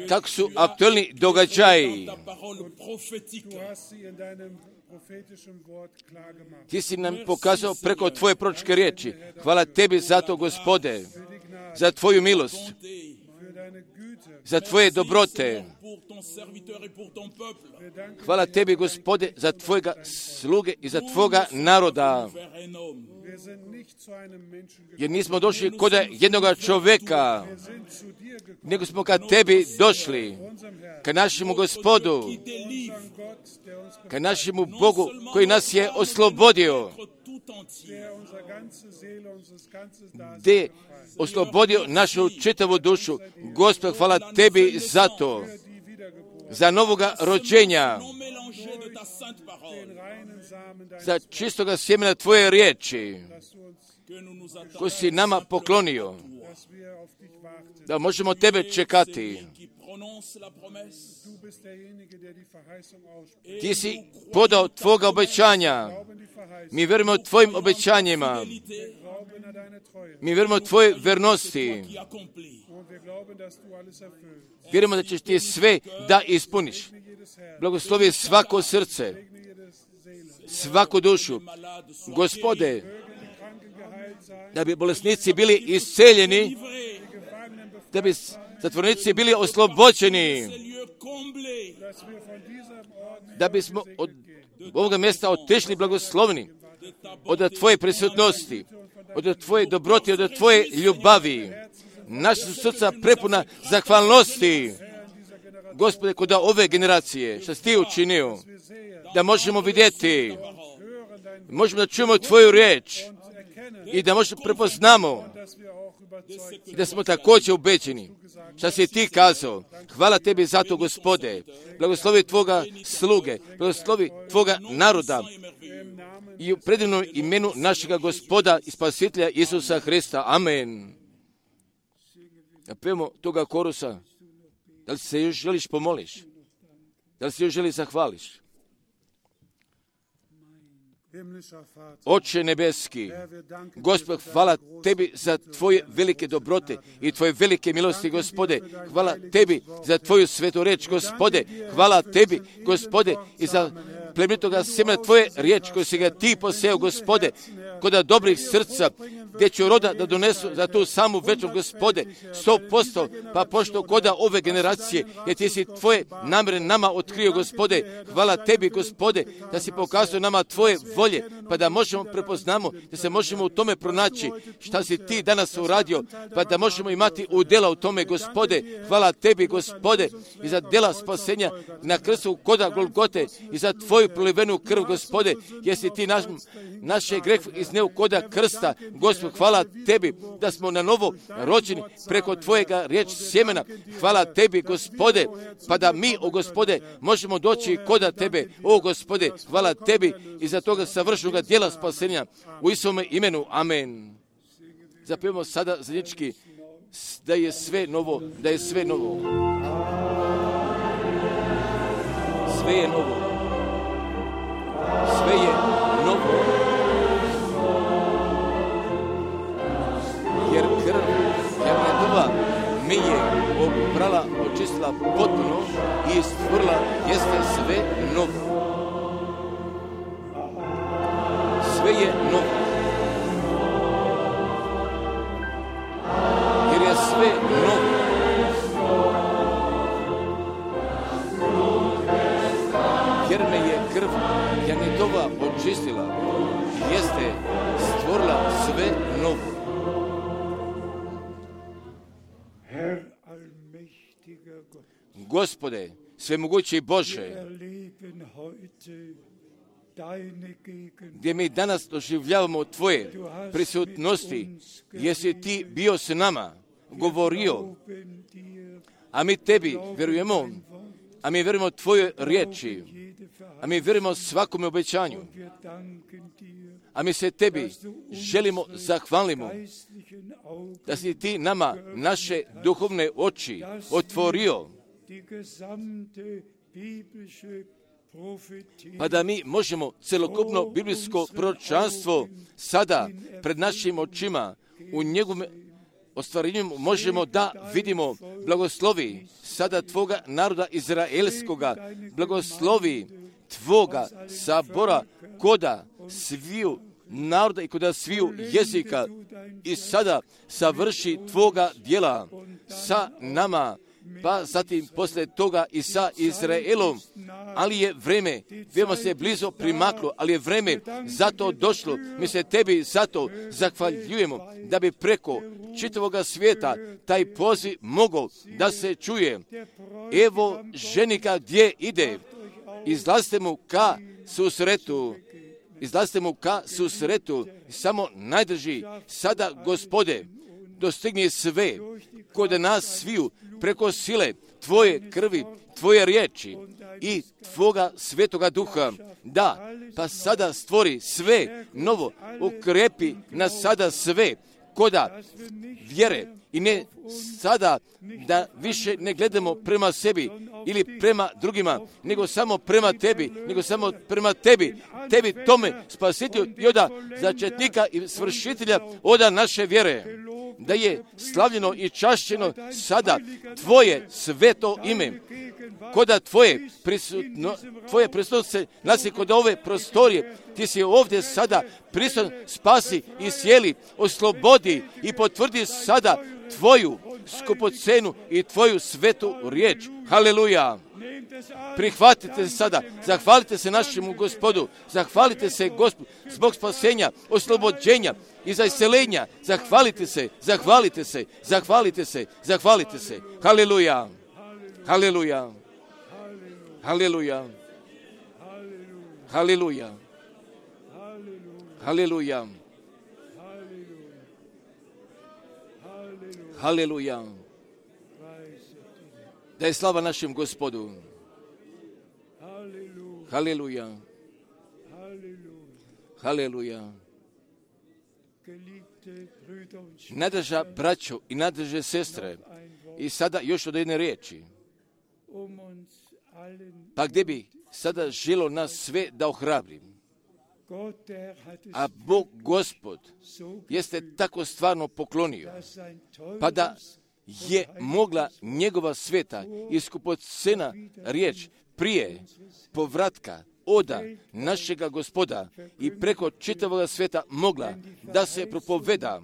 kako su aktualni događaji. Ti si nam pokazao preko Tvoje proročke riječi. Hvala Tebi za to, Gospode, za Tvoju milost, za Tvoje dobrote. Hvala Tebi, Gospode, za Tvojega sluge i za Tvoga naroda. Jer nismo došli kod jednoga čovjeka, nego smo ka Tebi došli, ka našemu Gospodu, ka našemu Bogu koji nas je oslobodio, gdje je oslobodio našu čitavu dušu. Gospod, hvala Tebi za to, za novoga rođenja, za čistoga sjemena Tvoje riječi, koji si nama poklonio, da možemo Tebe čekati. Ti si podao Tvoga obećanja. Mi vjerujemo Tvojim obećanjima. Mi vjerujemo Tvoje vernosti. Vjerujemo da ćeš Ti sve da ispuniš. Blagoslovi svako srce, svaku dušu. Gospode, da bi bolesnici bili isceljeni, da bi zatvorenici bili oslobođeni, da bismo od ovoga mjesta otišli blagoslovni od Tvoje prisutnosti, od Tvoje dobrote, od Tvoje ljubavi. Naša su srca prepuna zahvalnosti, Gospode, kod ove generacije, što si Ti učinio, da možemo vidjeti, možemo da čujemo Tvoju riječ i da možemo prepoznamo i da smo također ubeđeni što si Ti kazao. Hvala Tebi za to, Gospode. Blagoslovi Tvoga sluge, blagoslovi Tvoga naroda i u predivnom imenu našega Gospoda i Spasitelja Isusa Hrista. Amen. Da pevamo toga korusa. Da li se još želiš pomoliš? Da li se još želiš zahvališ? Oče nebeski, Gospod, hvala Tebi za Tvoje velike dobrote i Tvoje velike milosti, Gospode. Hvala Tebi za Tvoju svetu reč, Gospode. Hvala Tebi, Gospode, i za plemenitoga semena Tvoje riječ koju si ga Ti poseo, Gospode, kod dobrih srca, gdje će roda da donesu za tu samu večer, Gospode, 100%, pa pošto koda ove generacije, jer Ti si Tvoje namere nama otkrio, Gospode. Hvala Tebi, Gospode, da si pokazao nama Tvoje volje, pa da možemo prepoznamo, da se možemo u tome pronaći šta si Ti danas uradio, pa da možemo imati udjela u tome, Gospode. Hvala Tebi, Gospode, i za djela spasenja na krstu koda Golgote i za Tvoju prolivenu krv, Gospode, jer si Ti naše greh izneo koda krsta. Gospod, hvala Tebi da smo na novo rođeni preko Tvojega riječ sjemena. Hvala Tebi, Gospode, pa da mi, o Gospode, možemo doći koda Tebe, o Gospode. Hvala Tebi i za toga savršenog djela spasenja u Isovome imenu. Amen. Zapevamo sada zajednički da je sve novo, da je sve novo. Sve je novo. Sve je novo. Jer krv Janetova me je oprala, očistila potpuno i stvorila jeste sve novo. Sve je novo. Jer je sve novo. Jer me je krv Janetova očistila i jeste stvorila sve novo. Gospode, svemogući Bože, gdje mi danas doživljavamo Tvoje prisutnosti, jesi Ti bio s nama, govorio, a mi Tebi vjerujemo, a mi vjerujemo Tvojoj riječi, a mi vjerujemo svakome obećanju, a mi se Tebi želimo zahvalimo da si Ti nama naše duhovne oči otvorio, pa da mi možemo celokupno biblijsko proročanstvo sada pred našim očima u njegovom ostvarenju možemo da vidimo. Blagoslovi sada Tvoga naroda izraelskoga, blagoslovi Tvoga sabora koda sviju naroda i koda sviju jezika i sada savrši Tvoga djela sa nama, pa zatim poslije toga i sa Izraelom, ali je vreme, vjerujemo se blizo primaklo, ali je vreme zato došlo. Mi se Tebi zato zahvaljujemo da bi preko čitavoga svijeta taj poziv mogao da se čuje. Evo ženika gdje ide, izlazite mu ka susretu, izlazite mu ka susretu, samo najdrži sada, Gospode, dostigni sve kod nas sviju preko sile Tvoje krvi, Tvoje riječi i Tvoga svetoga duha. Da, pa sada stvori sve novo, ukrepi nas sada sve koda vjere i ne sada da više ne gledamo prema sebi ili prema drugima, nego samo prema Tebi, Tebi tome spasitelju i oda začetnika i svršitelja oda naše vjere, da je slavljeno i čašćeno sada Tvoje sveto ime, koda Tvoje prisutnost se nalazi kod ove prostorije. Ti si ovdje sada prisutan, spasi i sjeli, oslobodi i potvrdi sada Tvoju skupocenu i Tvoju svetu riječ. Haleluja! Prihvatite se sada, zahvalite se našemu Gospodu, zahvalite se Gospodu zbog spasenja, oslobođenja i za iseljenja. Zahvalite se. Haleluja! Haleluja! Haleluja! Haleluja! Haleluja! Haleluja! Da je slava našem Gospodu. Haleluja! Haleluja! Nadraža braćo i nadraže sestre, i sada još od jedne riječi. Pa gdje bi sada želo nas sve da ohrabrim? A Bog Gospod jeste tako stvarno poklonio, pa da je mogla njegova sveta i skupocena riječ prije povratka oda našega Gospoda i preko čitavoga sveta mogla da se propoveda,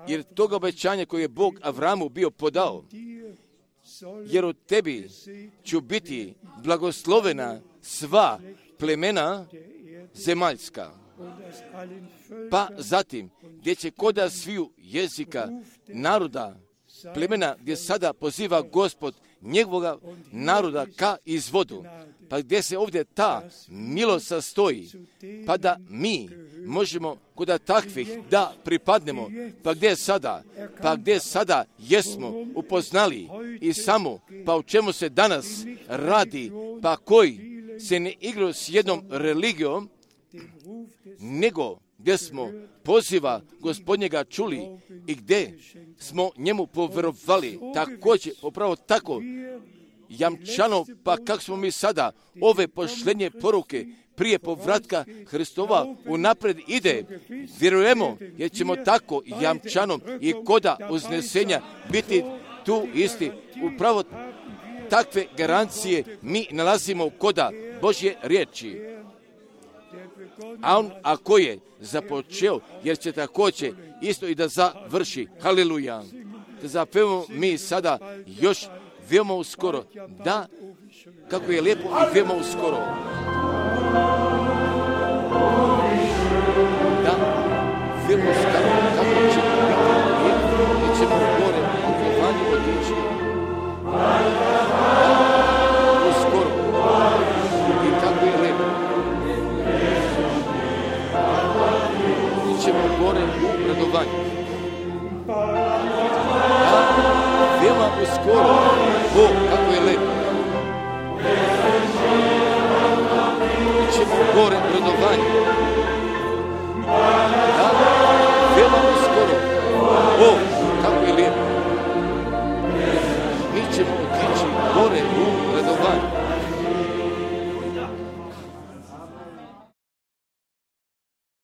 jer toga obećanja koje je Bog Avramu bio podao, jer od tebi ću biti blagoslovena sva plemena zemaljska. Pa zatim, gdje će koda sviju jezika, naroda, plemena, gdje sada poziva Gospod njegovoga naroda ka izvodu, pa gdje se ovdje ta milost sastoji, pa da mi možemo koda takvih da pripadnemo, pa gdje sada jesmo upoznali i samo, pa o čemu se danas radi, pa koji se ne igraju s jednom religijom, nego gdje smo poziva Gospodnjega čuli i gdje smo njemu povjerovali, također, upravo tako, jamčano, pa kako smo mi sada ove pošlenje poruke prije povratka Hristova unaprijed ide, vjerujemo, jer ćemo tako jamčano i koda uznesenja biti tu isti. Upravo takve garancije mi nalazimo koda Božje riječi. A on, ako je započeo, jer će također isto i da završi. Haleluja. Da zapevamo mi sada još veoma uskoro. Da, kako je lijepo i veoma uskoro. Da, veoma uskoro, kako će biti lijepo, gdje ćemo gore u Evanju otići. Da, uskoro. I tako je lijepo. Ćemo gore u radovanju. Da, veoma uskoro, Bog,